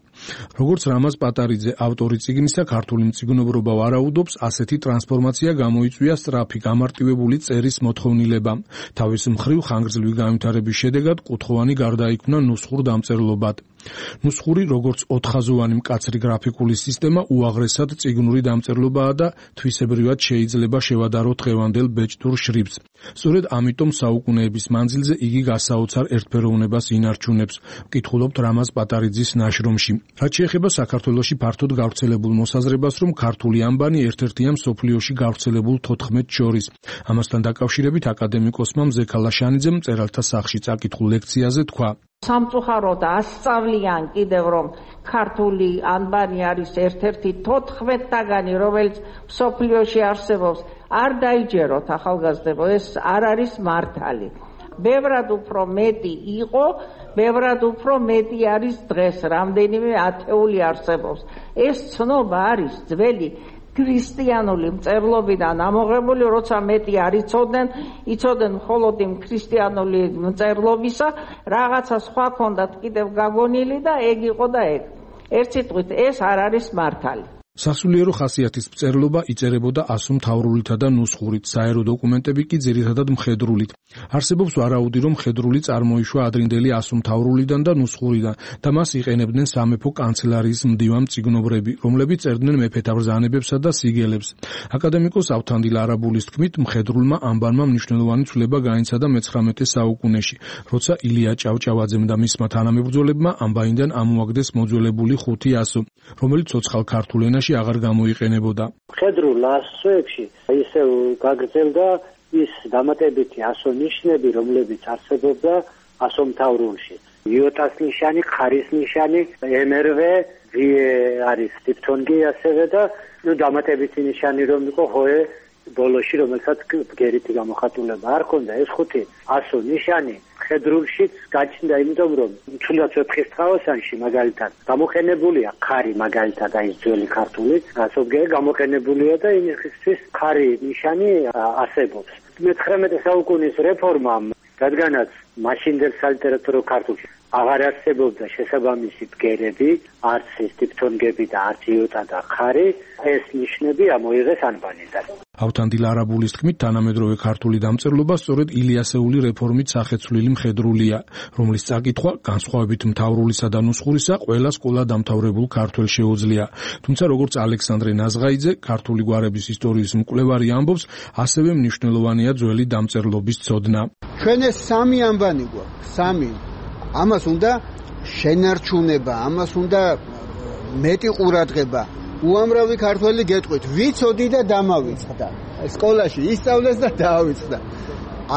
როგორც რამაზ პატარიძე, ავტორი წიგნისა, ქართული მწიგნობრობა ვარაუდობს, ასეთი ტრანსფორმაცია გამოიწვია სწრაფი გამარტივებული წერის მოთხოვნილებამ. თავის მხრივ ხანგრძლივი განვითარების შედეგად კუთხოვანი გარდაიქმნა ნუსხურ დამწერლობად. ნუსხური, როგორც ოთხხაზოვანი მკაცრი გრაფიკული სისტემა, უაღრესად წიგნური დამწერლობაა და თვისებრივად შეიძლება შევადაროთ დღევანდელ ბეჭდურ შრიფტს. სწორედ ამიტომ საუკუნეების მანძილზე იგი გასაოცარ ერთფეროვნებას ინარჩუნებს. ვკითხულობთ რამაზ პატარიძის ნაშრომში. რაც შეეხება საქართველოში ფართოდ გავრცელებულ მოსაზრებას, რომ ქართული ანბანი ერთ-ერთია მსოფლიოში გავრცელებულ თოთხმეტს შორის. ამასთან დაკავშირებით აკადემიკოსმა მზე ქალაშანიძემ მწერალთა სახლში წაკითხულ ლექციაზე თქვა: სამწუხაროდ ასწავლიან კიდევ რომ ქართული ანბანი არის ერთ-ერთი თოთხმეტთაგანი, რომელიც მსოფლიოში არსებობს. არ დაიჯეროთ ახალგაზრდებო, ეს არ არის მართალი. ბევრად უფრო მეტი იყო, ბევრად უფრო მეტი არის დღეს, რამდენიმე ათეული არსებობს. ეს ცნობა არის ძველი ქრისტიანული მწერლობიდან ამოღებული, როცა მეტი არ იცოდნენ, იცოდნენ მხოლოდ იმ ქრისტიანული მწერლობისა, რაღაცა სხვა ქონდათ კიდევ გაგონილი და ეგ იყო და ეგ. ერთ სიტყვით, ეს არ არის მართალი. სასულიერო ხასიათის მწერლობა იწერებოდა ასომთავრულითა და ნუსხურით, საერო დოკუმენტები კი ძირითადად მხედრულით. არსებობს ვარაუდი, რომ მხედრული წარმოიშვა ადრინდელი ასომთავრულიდან და ნუსხურიდან და მას იყენებდნენ სამეფო კანცელარიის მდივან მწიგნობრები, რომლებიც წერდნენ მეფეთა ბრძანებებსა და სიგელებს. აკადემიკოს ავთანდილ არაბულის თქმით, მხედრულმა ანბანმა მნიშვნელოვანი ცვლილება გაინცადა მეცხრამეტე საუკუნეში, როცა ილია ჭავჭავაძემ და მისმა თანამებრძოლებმა ანბანიდან ამოაგდეს მოძველებული ხუთი ასო, რომელიც ცოცხალ ქართულ ენაში აღარ გამოიყენებოდა. მხედრულ ასოებში ისევ გაგრძელდა ის დამატებითი ასონიშნები, რომლებიც არსებობდა ასომთავრულში. იოტას ნიშანი, ხარის ნიშანი, ემერვე, ვიე არის დიფთონგი ასევე და ნუ დამატებითი ნიშანი რომ იყო ჰოე ბოლოში, რომელსაც ბგერითი გამოხატულება არ ქონდა. ეს ხუთი ასო ნიშანი მხედრულშიც გაჩნდა, იმიტომ რომ თუნდაც ვეფხის ტყავოსანში მაგალითად გამოყენებულია ხარი, მაგალითად აი ძველი ქართული ასობგერი გამოყენებულია და იმისთვის ხარი ნიშანი არსებობს. მეცხრამეტე საუკუნის რეფორმამ, რადგანაც მაშინდელ სალიტერატურო ქართულში აღარ არსებობდა შესაბამისი ბგერები, არც ეს დიფთონგები და არც იოტა და ხარი, ეს ნიშნები ამოიღეს ანბანიდან. ავთანდილ არაბულის თქმით, თანამედროვე ქართული დამწერლობა სწორედ ილიასეული რეფორმით სახეცვლილი მხედრულია, რომლის წაკითხვა განსხვავებით მთავრულისა და ნუსხურისა ყველა სკოლა დამთავრებულ ქართველს შეუძლია. თუმცა როგორც ალექსანდრე ნაზღაიძე, ქართული გვარების ისტორიის მკვლევარი ამბობს, ასევე მნიშვნელოვანია ძველი დამწერლობის ცოდნა. ჩვენ ეს სამი ამბანი გვაქვს, სამი. ამას უნდა შენარჩუნება, ამას უნდა მეტი ყურადღება. უამრავი ქართველი გეტყვით, ვიცოდი და დამავიწყდა. სკოლაში ისწავლეს და დაავიწყდა.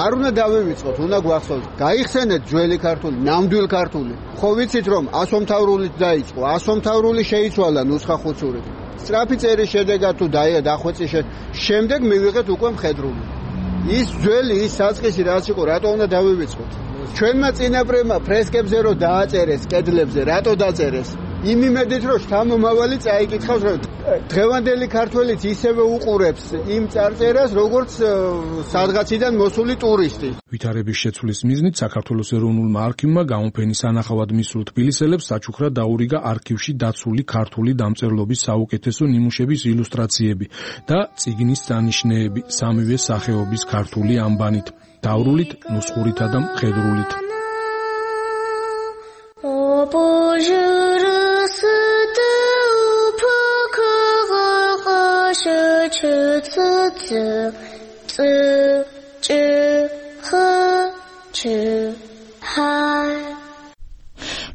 არ უნდა დავივიწყოთ, უნდა გვახსოვოთ. გაიხსენეთ ძველი ქართული, ნამდვილ ქართული. ხო ვიცით რომ ასომთავრულით დაიწყო, ასომთავრული შეიცვალა ნუსხახუცურით. სწრაფი წერის შედეგად თუ დახვეწის შემდეგ მივიღეთ უკვე მხედრული. ის ძველი, ის საწყისი რაც იყო, რატო უნდა დავივიწყოთ? ჩვენმა წინაპრებმა ფრესკებზე რო დააწერეს კედლებზე, რატო დაწერეს? იმ იმედით რომ შთამომავალი წაიკითხავს, რომ დღევანდელი ქართველიც ისევე უყურებს იმ წარწერას, როგორც სადღაციდან მოსული ტურისტი. ვითარების შეცვლის მიზნით საქართველოს ეროვნულმა არქივმა გამოფენის ანახავად მისულ თბილისელებს საჩუქრად დაურიგა არქივში დაცული ქართული დამწერლობის საუკეთესო ნიმუშების ილუსტრაციები და წიგნის დანიშნეები სამივე სახეობის ქართული ანბანით, დაურულით, ნუსხურითა და მხედრულით.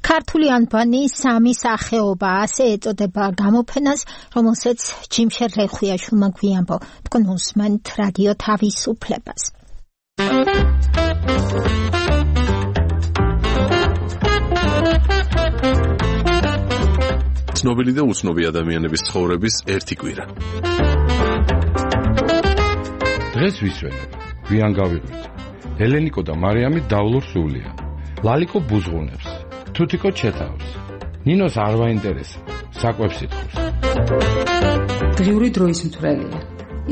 ქართული ანბანი სამი სახეობა, ასე ეწოდება გამოფენას, რომელსაც ჯიმშერ რეხვიაშვილმა გვიამბო. თქვენ უსმენთ რადიო თავისუფლებას. ცნობილი და უცნობი ადამიანების ცხოვრების ერთი კვირა. დღეს ვისვენებ, გვიან გავიღვით. ელენიკო და მარიამი დავლურ სულია. ლალიკო ბუზღუნებს, თუთიკო ჩეთავს. ნინოს არ ვაინტერესებს, საკვებს ითხოვს. დღიური დროის მთვრელია.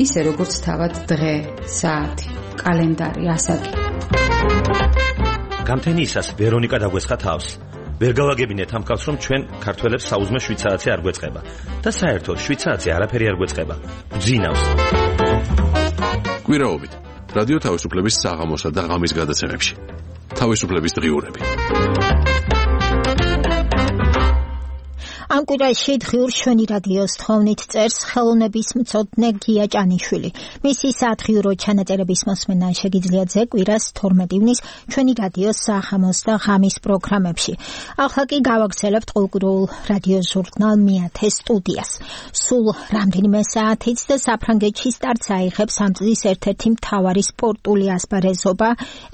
ისე როგორც თავად დღე, საათი, კალენდარი, ასაკი. გამთენიისას ვერონიკა დაგვესხა თავს. ვერ გავაგებინეთ ამ ხალხს, რომ ჩვენ ქართველებს საუზმე შვიცარაცი არ გვეწყება და საერთოდ შვიცარაცი არაფერი არ გვეწყება. გძინავს. კვირაობით რადიო თავისუფლების საღამოსა და ღამის გადაცემებში. თავისუფლების დღიურები. ამ კვირაში დღიურ შვენი რადიოს თხოვნით წერს ხელოვნების მცოდნე გია ჭანიშვილი. მისი სათხიურო ჩანაწერების მოსმენა შეგიძლიათ ზე კვირას თორმეტ ივნის ჩვენი რადიოს საღამოს და ღამის პროგრამებში. ახლა კი გავაგრძელებთ ყოველკვირეულ რადიო ჟურნალ მეათე სტუდიას. სულ რამდენიმე საათից და საფრანგეთში სტარტს აიღებს ამ წლის ერთ-ერთი მთავარი სპორტული ასპარეზობა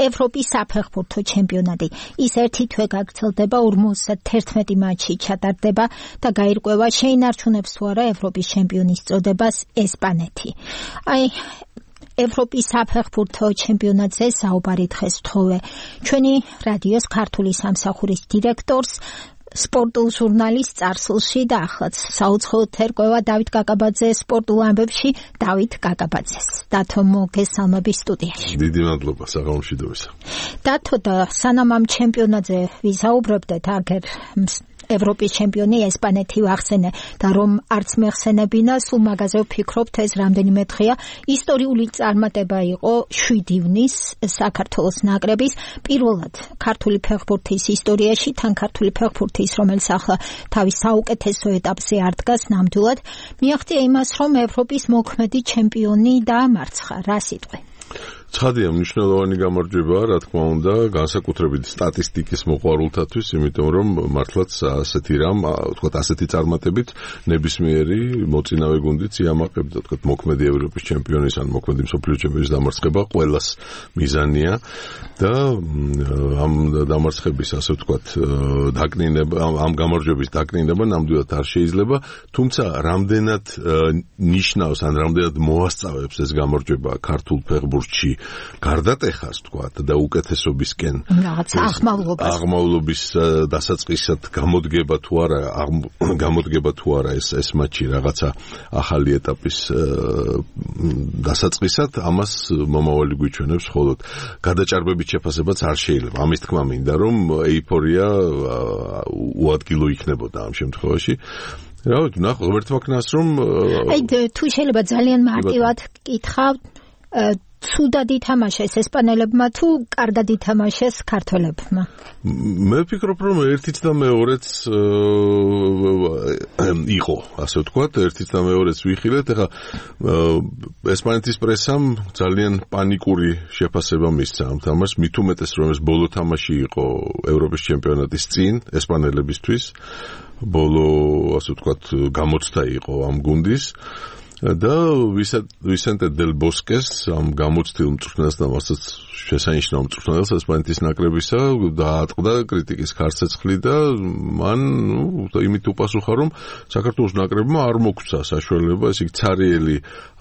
ევროპის საფეხბურთო ჩემპიონატი. ის ერთი თვე გაგრძელდება, ორმოცდაერთმეტი მატჩი ჩატარდება და გაირკვევა შეინარჩუნებს თუ არა ევროპის ჩემპიონის წოდებას ესპანეთი. აი ევროპის საფეხბურთო ჩემპიონატზე საუბარი დღეს ვთხოვე ჩვენი რადიოს ქართული სამსახურის დირექტორს, სპორტულ ჟურნალის წარსულში და ახლაც საუცხოოდ ერკვევა დავით კაკაბაძე სპორტულ ამბებში. დავით კაკაბაძეს. დათო მოგესალმები სტუდიაში. დიდი მადლობა საღამომშვიდობისა. დათო, და სანამ ამ ჩემპიონატზე ვისაუბრებდეთ, აგერ ევროპის ჩემპიონი ესპანეთი ვახსენე და რომ არც მეხსენებინა, სულ მაგაზე ვფიქრობთ, ეს რამდენიმე დღეა ისტორიული წარმატება იყო შვიდი ივნის საქართველოს ნაკრების პირველად ქართული ფეხბურთის ისტორიაში, თან ქართული ფეხბურთის, რომელიც ახლა თავის საუკეთესო ეტაპზე არ დგას ნამდვილად, მიაღწია იმას, რომ ევროპის მოქმედი ჩემპიონი დაამარცხა. რა სიტყვი? ცხადია, მნიშვნელოვანი გამარჯვებაა, რა თქმა უნდა, განსაკუთრებით სტატისტიკის მოყვარულთათვის, იმიტომ რომ მართლაც ასეთი რამ, ვთქვათ, ასეთი წარმატებით ნებისმიერი მოწინავე გუნდიც იამაყებდა, ვთქვათ, მოქმედი ევროპის ჩემპიონის ან მოქმედი მსოფლიო ჩემპიონის დამარცხება ყველას მიზანია და ამ დამარცხების, ასე ვთქვათ, დაკნინება, ამ გამარჯვების დაკნინება ნამდვილად არ შეიძლება, თუმცა რამდენად ნიშნავს ან რამდენად მოასწავებს ეს გამარჯვება ქართულ ფეხბურთში გარდატეხას თქვათ და უკეთესობისკენ რაღაც აღმავლობას აღმავლობის დასაწყისად გამოდგება თუ არა გამოდგება თუ არა ეს ეს მატჩი რაღაცა ახალი ეტაპის დასაწყისად ამას მომავალი გვიჩვენებს მხოლოდ გადაჭარბებით შეფასებაც არ შეიძლება ამის თქმა მინდა რომ ეიფორია უადგილო იქნებოდა ამ შემთხვევაში რა ვიცი ნახო ღმერთმა ქნას რომ აი თუ შეიძლება ძალიან მარტივად კითხავ ცუდად ითამაშეს ესპანელებმა თუ კარგად ითამაშეს ქართველებმა? მე ვფიქრობ რომ ერთიც და მეორეც იყო, ასე ვთქვათ, ერთიც და მეორეც ვიხილეთ. ეხლა ესპანეთის პრესამ ძალიან პანიკური შეფასება მისცა ამ თამაშს, მით უმეტეს რომ ეს ბოლო თამაში იყო ევროპის ჩემპიონატის წინ ესპანელებისთვის. ბოლო, ასე ვთქვათ, გამოცდა იყო ამ გუნდის. და ვისენტე დელ ბოსკეს ამ გამოცდილ მწვრთნელს და მასაც შესანიშნავ მწვრთნელს ესპანეთის ნაკრებისა დაატყდა კრიტიკის ხარცეცხლი და მან ნუ იმით უპასუხა რომ საქართველოს ნაკრებმა არ მოგცა საშუალება ესე იგი ცარიელი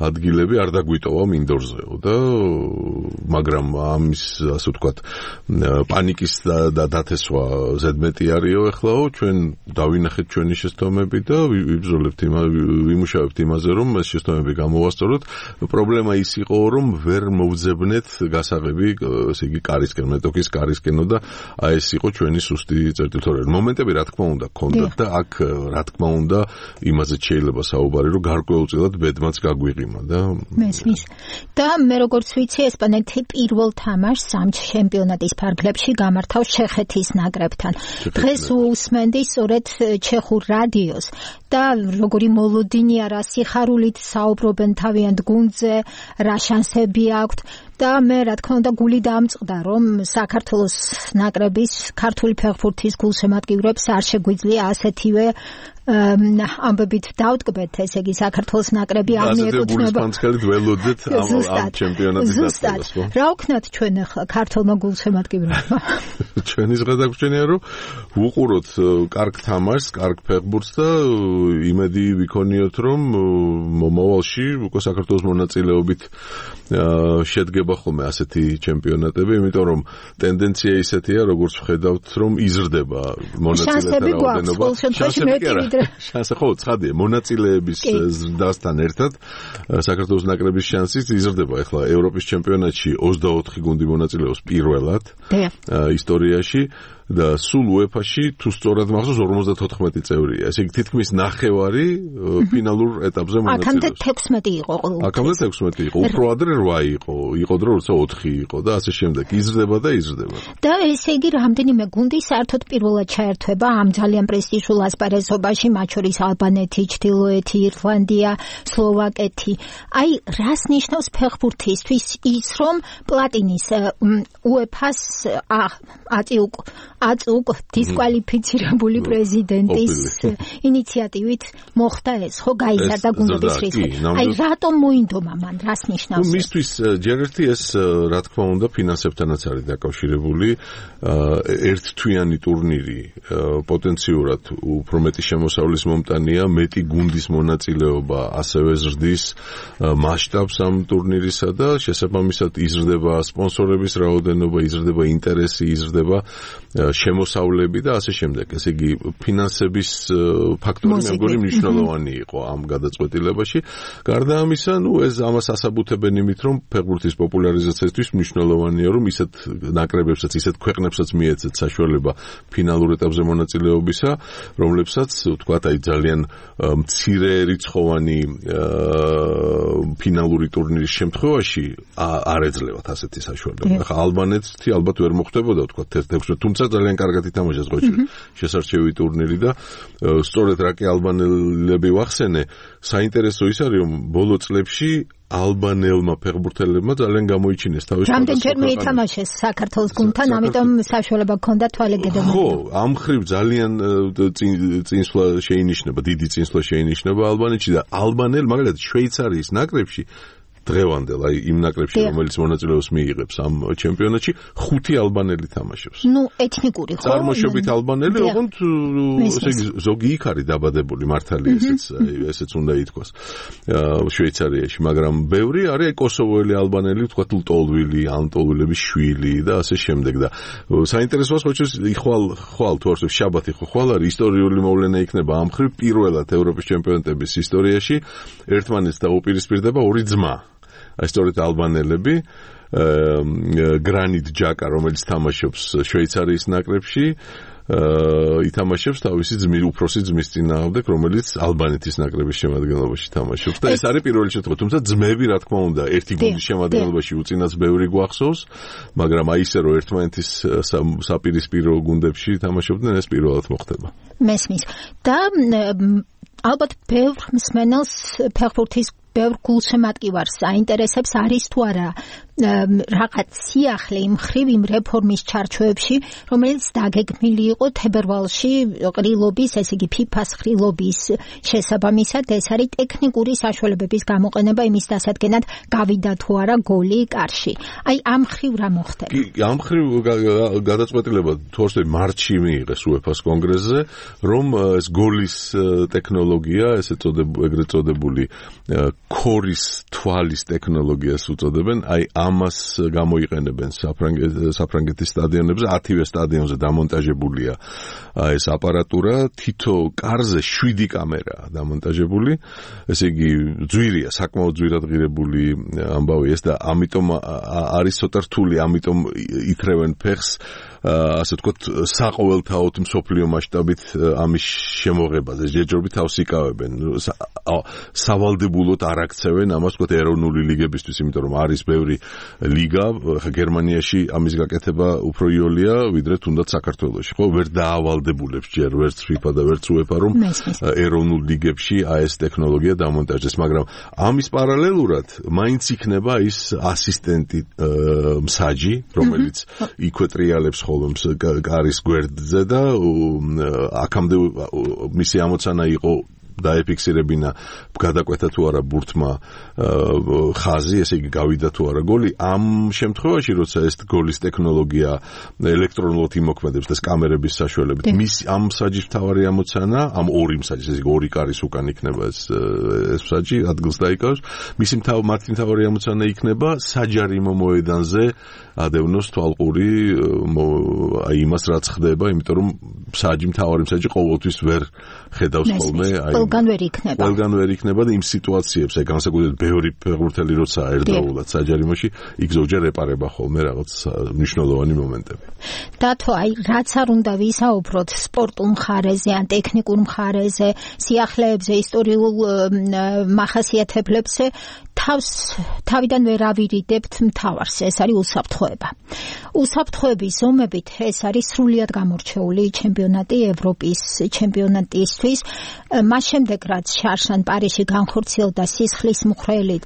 ადგილები არ დაგვიტოვა მინდორზეო და მაგრამ ამის ასე ვთქვათ პანიკის და დათესვა ზედმეტი არისო ეხლაო ჩვენ დავინახეთ ჩვენი შეცდომები და ვიბრძოლებთ ვიმუშავებთ იმაზე რომ შეცდომები გამოვასწოროთ. პრობლემა ის იყო, რომ ვერ მოვძებნეთ გასაღები, ესე იგი, კარისკენ, მეტოქის კარისკენო და აი ეს იყო ჩვენი სუსტი წერტილთორე. მომენტები რა თქმა უნდა გქონდათ და აქ რა თქმა უნდა იმაზე შეიძლება საუბარი, რომ გარკვეულწილად ბედმაც გაგვიღიმა და მესმის. და მე როგორც ვიცი, ესპანეთი პირველ თამაშს ამ ჩემპიონატის ფარგლებში გამართავს ჩეხეთის ნაკრებთან. დღეს უსმენდი სწორედ ჩეხურ რადიოს და როგორი მოლოდინია რა სიხარულით საუბრობენ თავიანთ გუნდზე, რა შანსები აქვთ და მე რა თქმა უნდა გული დამწყდა რომ საქართველოს ნაკრების ქართული ფეხბურთის გულშემატკივრებს არ შეგვიძლია ასეთივე ამბებით დავტკბეთ, ესე იგი საქართველოს ნაკრები არ მიეკუთვნება. გულშემატკივრებს ველოდეთ ამ ჩემპიონატის დასწრებას. რა ვქნათ ჩვენ ახლა ქართულმა გულშემატკივრებმა? ჩვენი ზღადაგვრჩენია რომ ვუყუროთ კარგ თამაშს, კარგ ფეხბურთს და იმედი ვიქონიოთ რომ მომავალში უკვე საქართველოს მონაწილეობით შედგება ხოლმე ასეთი ჩემპიონატები, იმიტომ რომ ტენდენცია ისეთია, როგორც ვხედავთ, რომ იზრდება მონაწილეთა რაოდენობა. შანსი ხო, ცხადია, მონაწილეების ზრდასთან ერთად საქართველოს ნაკრების შანსიც იზრდება. ეხლა ევროპის ჩემპიონატში ოცდაოთხი გუნდი მონაწილეობს პირველად ისტორიაში. და სულ უეფაში თუ სწორად მახსოვს ორმოცდათოთხმეტი წევრია. ესე იგი თითქმის ნახევარი ფინალურ ეტაპზე მონაწილეობს. აქამდე თექვსმეტი იყო ყოველთვის. აქამდე თექვსმეტი იყო. უფრო ადრე რვა იყო. იყო დრო როცა ოთხი იყო და ასე შემდეგ. იზრდება და იზრდება. და ესე იგი რამდენიმე გუნდი საერთოდ პირველად ჩაერთვება ამ ძალიან პრესტიჟულ ასპარეზობაში, მათ შორის ალბანეთი, ჩრდილოეთი ირლანდია, სლოვაკეთი. აი, რას ნიშნავს ფეხბურთისთვის ის, რომ პლატინის უეფას აწიუკ აწუկ დისკვალიფიცირებული პრეზიდენტის ინიციატივით მოხდა ეს, ხო, გაიზარდა გუნდების რისკი. აი, რატომ მოინდომა მან, რას ნიშნავს? მისთვის ჯერ ერთი ეს რა თქმა უნდა ფინანსებთანაც არის დაკავშირებული. ერთთვიანი ტურნირი პოტენციურად უფრო მეტი შემოსავლის მომტანია, მეტი გუნდის მონაწილეობა ასევე ზრდის მასშტაბს ამ ტურნირისა და შესაბამისად იზრდება სპონსორების რაოდენობა, იზრდება ინტერესი, იზრდება შემოსავლები და ასე შემდეგ. ესე იგი, ფინანსების ფაქტორი მე მგონი მნიშვნელოვანი იყო ამ გადაწყვეტილებაში. გარდა ამისა, ნუ ეს ამას ასაბუთებენ იმით, რომ ფეხბურთის პოპულარიზაციისთვის მნიშვნელოვანია, რომ ისეთ ნაკრებებსაც, ისეთ ქვეყნებსაც მიეცეთ საშუალება ფინალურ ეტაპზე მონაწილეობისა, რომლებსაც, ვთქვათ, აი ძალიან მცირე რიცხოვანი ფინალური ტურნირის შემთხვევაში არ ეძლევათ ასეთი საშუალება. ახლა ალბანეთი ალბათ ვერ მოხდებოდა, ვთქვათ, თექვსმეტი, თუმცა ძალიან კარგად ითამაშეს ხო შესარჩევი ტურნირი და სწორედ რა კი ალბანელები ვახსენე, საინტერესო ის არის, რომ ბოლო წლებში ალბანელმა ფეხბურთელებმა ძალიან გამოიჩინეს თავის რამდენჯერ მიითამაშეს საქართველოს გუნდთან, ამიტომ საშუალება ჰქონდა თვალე გედმოდა. ხო, ამ ხრივ ძალიან წინსვლა შეინიშნება, დიდი წინსვლა შეინიშნება ალბანეთში და ალბანელ, მაგალითად შვეიცარიის ნაკრებში დღევანდელ, აი იმ ნაკრებში, რომელიც მონაწილეობას მიიღებს ამ ჩემპიონატში, ხუთი ალბანელი თამაშობს. ნუ ეთნიკური ხო? წარმოშობით ალბანელი, ოღონდ ესე იგი ზოგი იქ არის დაბადებული, მართალია ესეც, ესეც უნდა ითქვას. შვეიცარიაში, მაგრამ ბევრი არის კოსოვოელი ალბანელი, თქვა ლტოლვილი, ანტოლვილების შვილი და ასე შემდეგ და საინტერესოა ხოჭის იხვალ ხვალ თუ არსებობს შაბათი ხო ხვალ არის ისტორიული მოვლენა იქნება ამ ხრივ პირველად ევროპის ჩემპიონატების ისტორიაში ერთმანეთს დაუპირისპირდება ორი ძმა. აი სწორედ ალბანელები გრანიტ ჯაკა რომელიც თამაშობს შვეიცარიის ნაკრებში ითამაშებს თავისი ძმის უფროსი ძმის წინააღმდეგ, რომელიც ალბანეთის ნაკრების შემადგენლობაში თამაშობს და ეს არის პირველი შემთხვევა. თუმცა ძმები, რა თქმა უნდა, ერთი გუნდის შემადგენლობაში უწინაც ბევრი გვახსოვს, მაგრამ აი ისე რომ ერთმანეთის საპირისპირო გუნდებში თამაშობდნენ, ეს პირველად მოხდება. მესმის. და ალბათ ბევრ მსმენელს ფეხბურთის ბევრ გულშემატკივარს აინტერესებს არის თუ არა რაღაც სიახლე იმ ხრივ იმ რეფორმის ჩარჩოებში, რომელიც დაგეგმილი იყო თებერვალში ყრილობის, ესე იგი ფიფას ყრილობის შესაბამისად, ეს არის ტექნიკური საშუალებების გამოყენება იმის დასადგენად გავიდა თუ არა გოლი კარში. აი ამ ხრივ რა მოხდება? ამ ხრივ გადაწყვეტილება თორსე მარტში მიიღეს უეფას კონგრესზე, რომ ეს გოლის ტექნოლოგია, ესე წოდებული, ეგრეთ წოდებული ქორის თვალის ტექნოლოგიას უწოდებენ, აი ამას გამოიყენებენ საფრანგეთის სტადიონებზე, ათივე სტადიონზე დამონტაჟებულია ეს აპარატურა, თითო კარზე შვიდი კამერაა დამონტაჟებული, ესე იგი ძვირია, საკმაოდ ძვირად ღირებული ამბავი ეს და ამიტომ არის ცოტა რთული, ამიტომ ითრევენ ფეხს ასე ვთქვათ, საყოველთაოდ მსოფლიო მასშტაბით ამის შემოღებაზე. ჯერჯერობით თავს იკავებენ. სავალდებულოდ არ აქცევენ ამას ვთქვათ ეროვნული ლიგებისთვის, იმიტომ რომ არის ბევრი ლიგა, გერმანიაში ამის გაკეთება უფრო იოლია, ვიდრე თუნდაც საქართველოში. ხო, ვერ დაავალდებულებს ჯერ ვერც FIFA და ვერც UEFA რომ ეროვნულ ლიგებში აი ეს ტექნოლოგია დამონტაჟდეს, მაგრამ ამის პარალელურად მაინც იქნება ის ასისტენტი მსაჯი, რომელიც იქვე ტრიალებს კარის გვერდზე და აქამდე მისი ამოცანა იყო დაეფიქსირებინა გადაკვეთა თუ არა ბურთმა ხაზი, ესე იგი გავიდა თუ არა გოლი. ამ შემთხვევაში, როცა ეს გოლის ტექნოლოგია ელექტრონულად იმოქმედებს და კამერების საშუალებით, მის ამ მსაჯის მთავარი ამოცანა, ამ ორი მსაჯის, ესე იგი ორი კარის უკან იქნება ეს ეს მსაჯი, ადგილს დაიკავებს. მისი მათი მთავარი ამოცანა იქნება საჯარიმო მოედანზე ადევნოს თვალყური აი იმას რაც ხდება, იმიტომ რომ მსაჯი მთავარი მსაჯი ყოველთვის ვერ ხედავს ხოლმე აი ყველგან ვერ იქნება. ყველგან ვერ იქნება და იმ სიტუაციებს, აი განსაკუთრებით ბევრი ფეხბურთელი როცა ერდაულად საჯარიმოში, იქ ზოგჯერ ეპარება ხოლმე რაღაც მნიშვნელოვანი მომენტები. დათო, აი რაც არ უნდა ვისაუბროთ სპორტულ მხარეზე ან ტექნიკურ მხარეზე, სიახლეებზე, ისტორიულ მახასიათებლებზე, თავს თავიდან ვერ ავირიდებთ მთავარს, ეს არის უსაფრთხოება. უსაფრთხოების ზომებით ეს არის სრულიად გამორჩეული ჩემპიონატი ევროპის ჩემპიონატისთვის. მას შემდეგ რაც შარშან პარიზში განხორციელდა სისხლის მუხრელი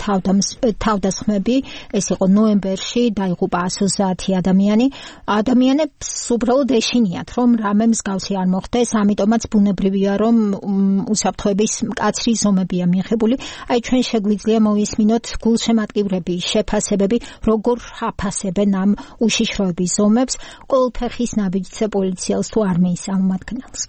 თავდასხმები, ეს იყო ნოემბერში, დაიღუპა ათი ადამიანი. ადამიანებს უბრალოდ ეშინიათ, რომ რამე მსგავსი არ მოხდეს, ამიტომაც ბუნებრივია, რომ უსაფრთხოების მკაცრი ზომებია მიღებული. აი ჩვენ შეგვიძლია მოვისმინოთ გულშემატკივრები, შეფასებები, როგორ აფასებენ ამ უშიშროების ზომებს ყოველფეხის ნაბიჯზე პოლიციელს თუ არმიის წარმომადგენელს.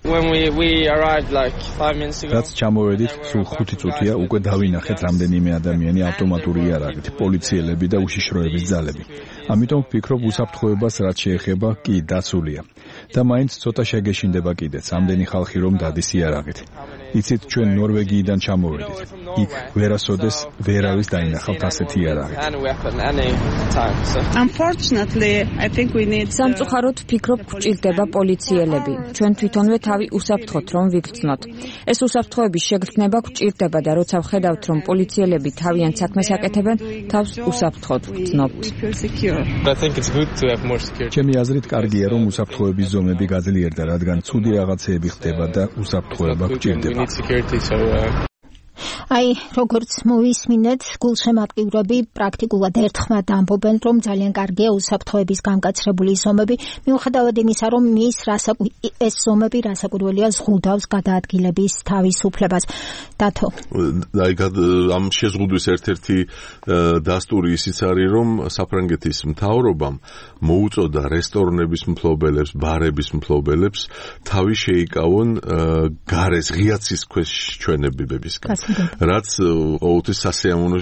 When we we arrived like five minutes ago. რაც ჩამოვედით, სულ ხუთი წუთია უკვე დავინახეთ რამდენიმე ადამიანი ავტომატური იარაღით, პოლიციელები და უშიშროების ძალები. ამიტომ ვფიქრობ უსაფრთხოებას რაც შეეხება კი დაცულია. და მაინც ცოტა შეგეშინდება კიდეც ამდენი ხალხი რომ დადის იარაღით. იცით ჩვენ ნორვეგიიდან ჩამოვედით. იქ ვერასოდეს ვერავის დაინახავთ ასეთი იარაღით. Unfortunately, I think we need სამწუხაროდ ვფიქრობ გვჭირდება პოლიციელები. ჩვენ თვითონვე თავი უსაფრთხოთ რომ ვიგრძნოთ. ეს უსაფრთხოების შეგრძნება გვჭირდება და როცა ვხედავთ რომ პოლიციელები თავიანთ საქმეს აკეთებენ, თავს უსაფრთხოდ ვგრძნობთ. ჩემი აზრით კარგია რომ უსაფრთხოების ზომები გაძლიერდა, რადგან ცუდი რაღაცეები ხდება და უსაფრთხოება გვჭირდება. აი, როგორც მოვისმინეთ, გულშემატკივრები პრაქტიკულად ერთხმად ამბობენ, რომ ძალიან კარგია უსაფრთხოების გამკაცრებული ზომები, მიუხედავად იმისა, რომ ის ეს ზომები რასაკვირველია ზღუდავს გადაადგილების თავისუფლებას. დათო. აი, ამ შეზღუდვის ერთ-ერთი დასტური ისიც არის, რომ საფრანგეთის მთავრობამ მოუწოდა რესტორნების მფლობელებს, ბარების მფლობელებს თავი შეიკავონ გარეს ღია ცის ქვეშ ჩვენებებისგან. რაც ყოველთვის სასიამოვნო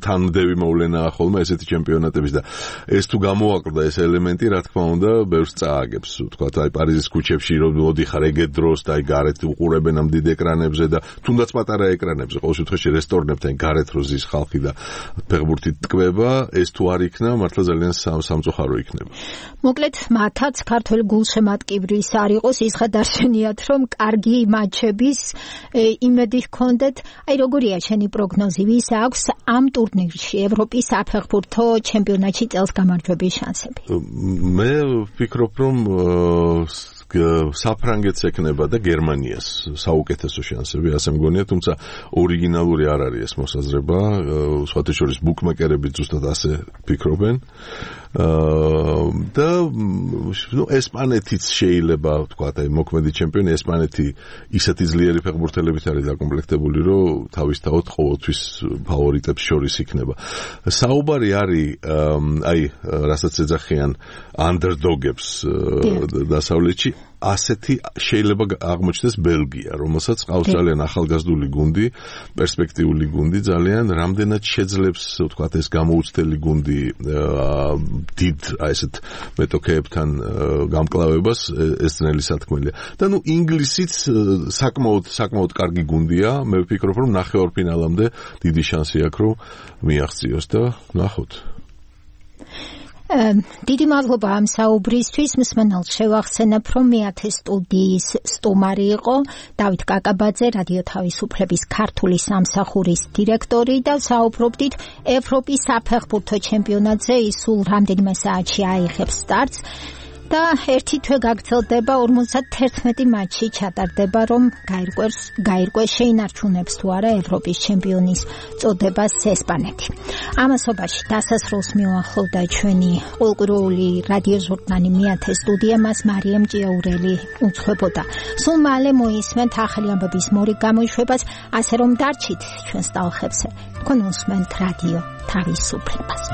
თანმდევი მოვლენაა ხოლმე ესეთი ჩემპიონატების და ეს თუ გამოაკლდა ეს ელემენტი, რა თქმა უნდა, ბევრს წააგებს. ვთქვათ, აი პარიზის ქუჩებში რომ მოდიხარ ეგეთ დროს და აი გარეთ უყურებენ ამ დიდ ეკრანებზე და თუნდაც პატარა ეკრანებზე, ყოველ შემთხვევაში რესტორნებთან გარეთ რო ზის ხალხი და ფეხბურთით ტკბება, ეს თუ არ იქნა, მართლა ძალიან სამწუხარო იქნება. მოკლედ, მათაც ქართველ გულშემატკივრის არ იყოს ის ხადარშენიათ, რომ კარგი მატჩების იმედი ჰქონდეთ. აი, როგორია შენი პროგნოზი, ვის აქვს ამ ტურნირში ევროპის საფეხბურთო ჩემპიონატში წელს გამარჯვების შანსები? მე ვფიქრობ, რომ საფრანგეთს ეკნება და გერმანიას საუკეთესო შანსები, ასე მგონია, თუმცა ორიგინალური არ არის ეს მოსაზრება, სხვათა შორის ბუკმეკერები ზუსტად ასე ფიქრობენ. და ნუ ესპანეთიც შეიძლება ვთქვათ, აი მოქმედი ჩემპიონი ესპანეთი ისეთი ძლიერი ფეხბურთელებით არის დაკომპლექტებული, რომ თავისთავად ყოველთვის ფავორიტებს შორის იქნება. საუბარი არის აი რასაც ეძახიან underdog-ებს დასავლეთში, ასეთი შეიძლება აღმოჩნდეს ბელგია, რომელსაც ყავს ძალიან ახალგაზრდული გუნდი, პერსპექტიული გუნდი ძალიან, რამდენად შეძლებს ვთქვათ ეს გამოუცდელი გუნდი დიდ აი ესეთ მეტოქეებთან გამკლავებას, ეს ძნელი სათქმელია. და ნუ ინგლისიც საკმაოდ საკმაოდ კარგი გუნდია, მე ვფიქრობ, რომ ნახევარფინალამდე დიდი შანსი აქვს, რომ მიაღწიოს და ნახოთ. დიდი მადლობა ამ საუბრისთვის. მსმენელს შევახსენებ, რომ მეათე სტუდიის სტუმარი იყო დავით კაკაბაძე, რადიო თავისუფლების ქართული სამსახურის დირექტორი და საუბრობდით ევროპის საფეხბურთო ჩემპიონატზე. ის სულ რამდენიმე საათში აიღებს სტარტს და ერთი თვე გაგრძელდება, ორმოცდათერთმეტი მატჩი ჩატარდება, რომ გაირკვეს გაირკვეს შეინარჩუნებს თუ არა ევროპის ჩემპიონის წოდებას ესპანეთი. ამასობაში დასასრულს მიუახლოვდა ჩვენი ყოველკვირეული რადიო ჟურნალი მეათე სტუდია, მას მარიამ ჭიაურელი უძღვებოდა. სულ მალე მოისმენთ ახალი ამბების მორიგ გამოშვებას, ასე რომ დარჩით ჩვენს ტალღებზე. თქვენ უსმენთ რადიო თავისუფლებას.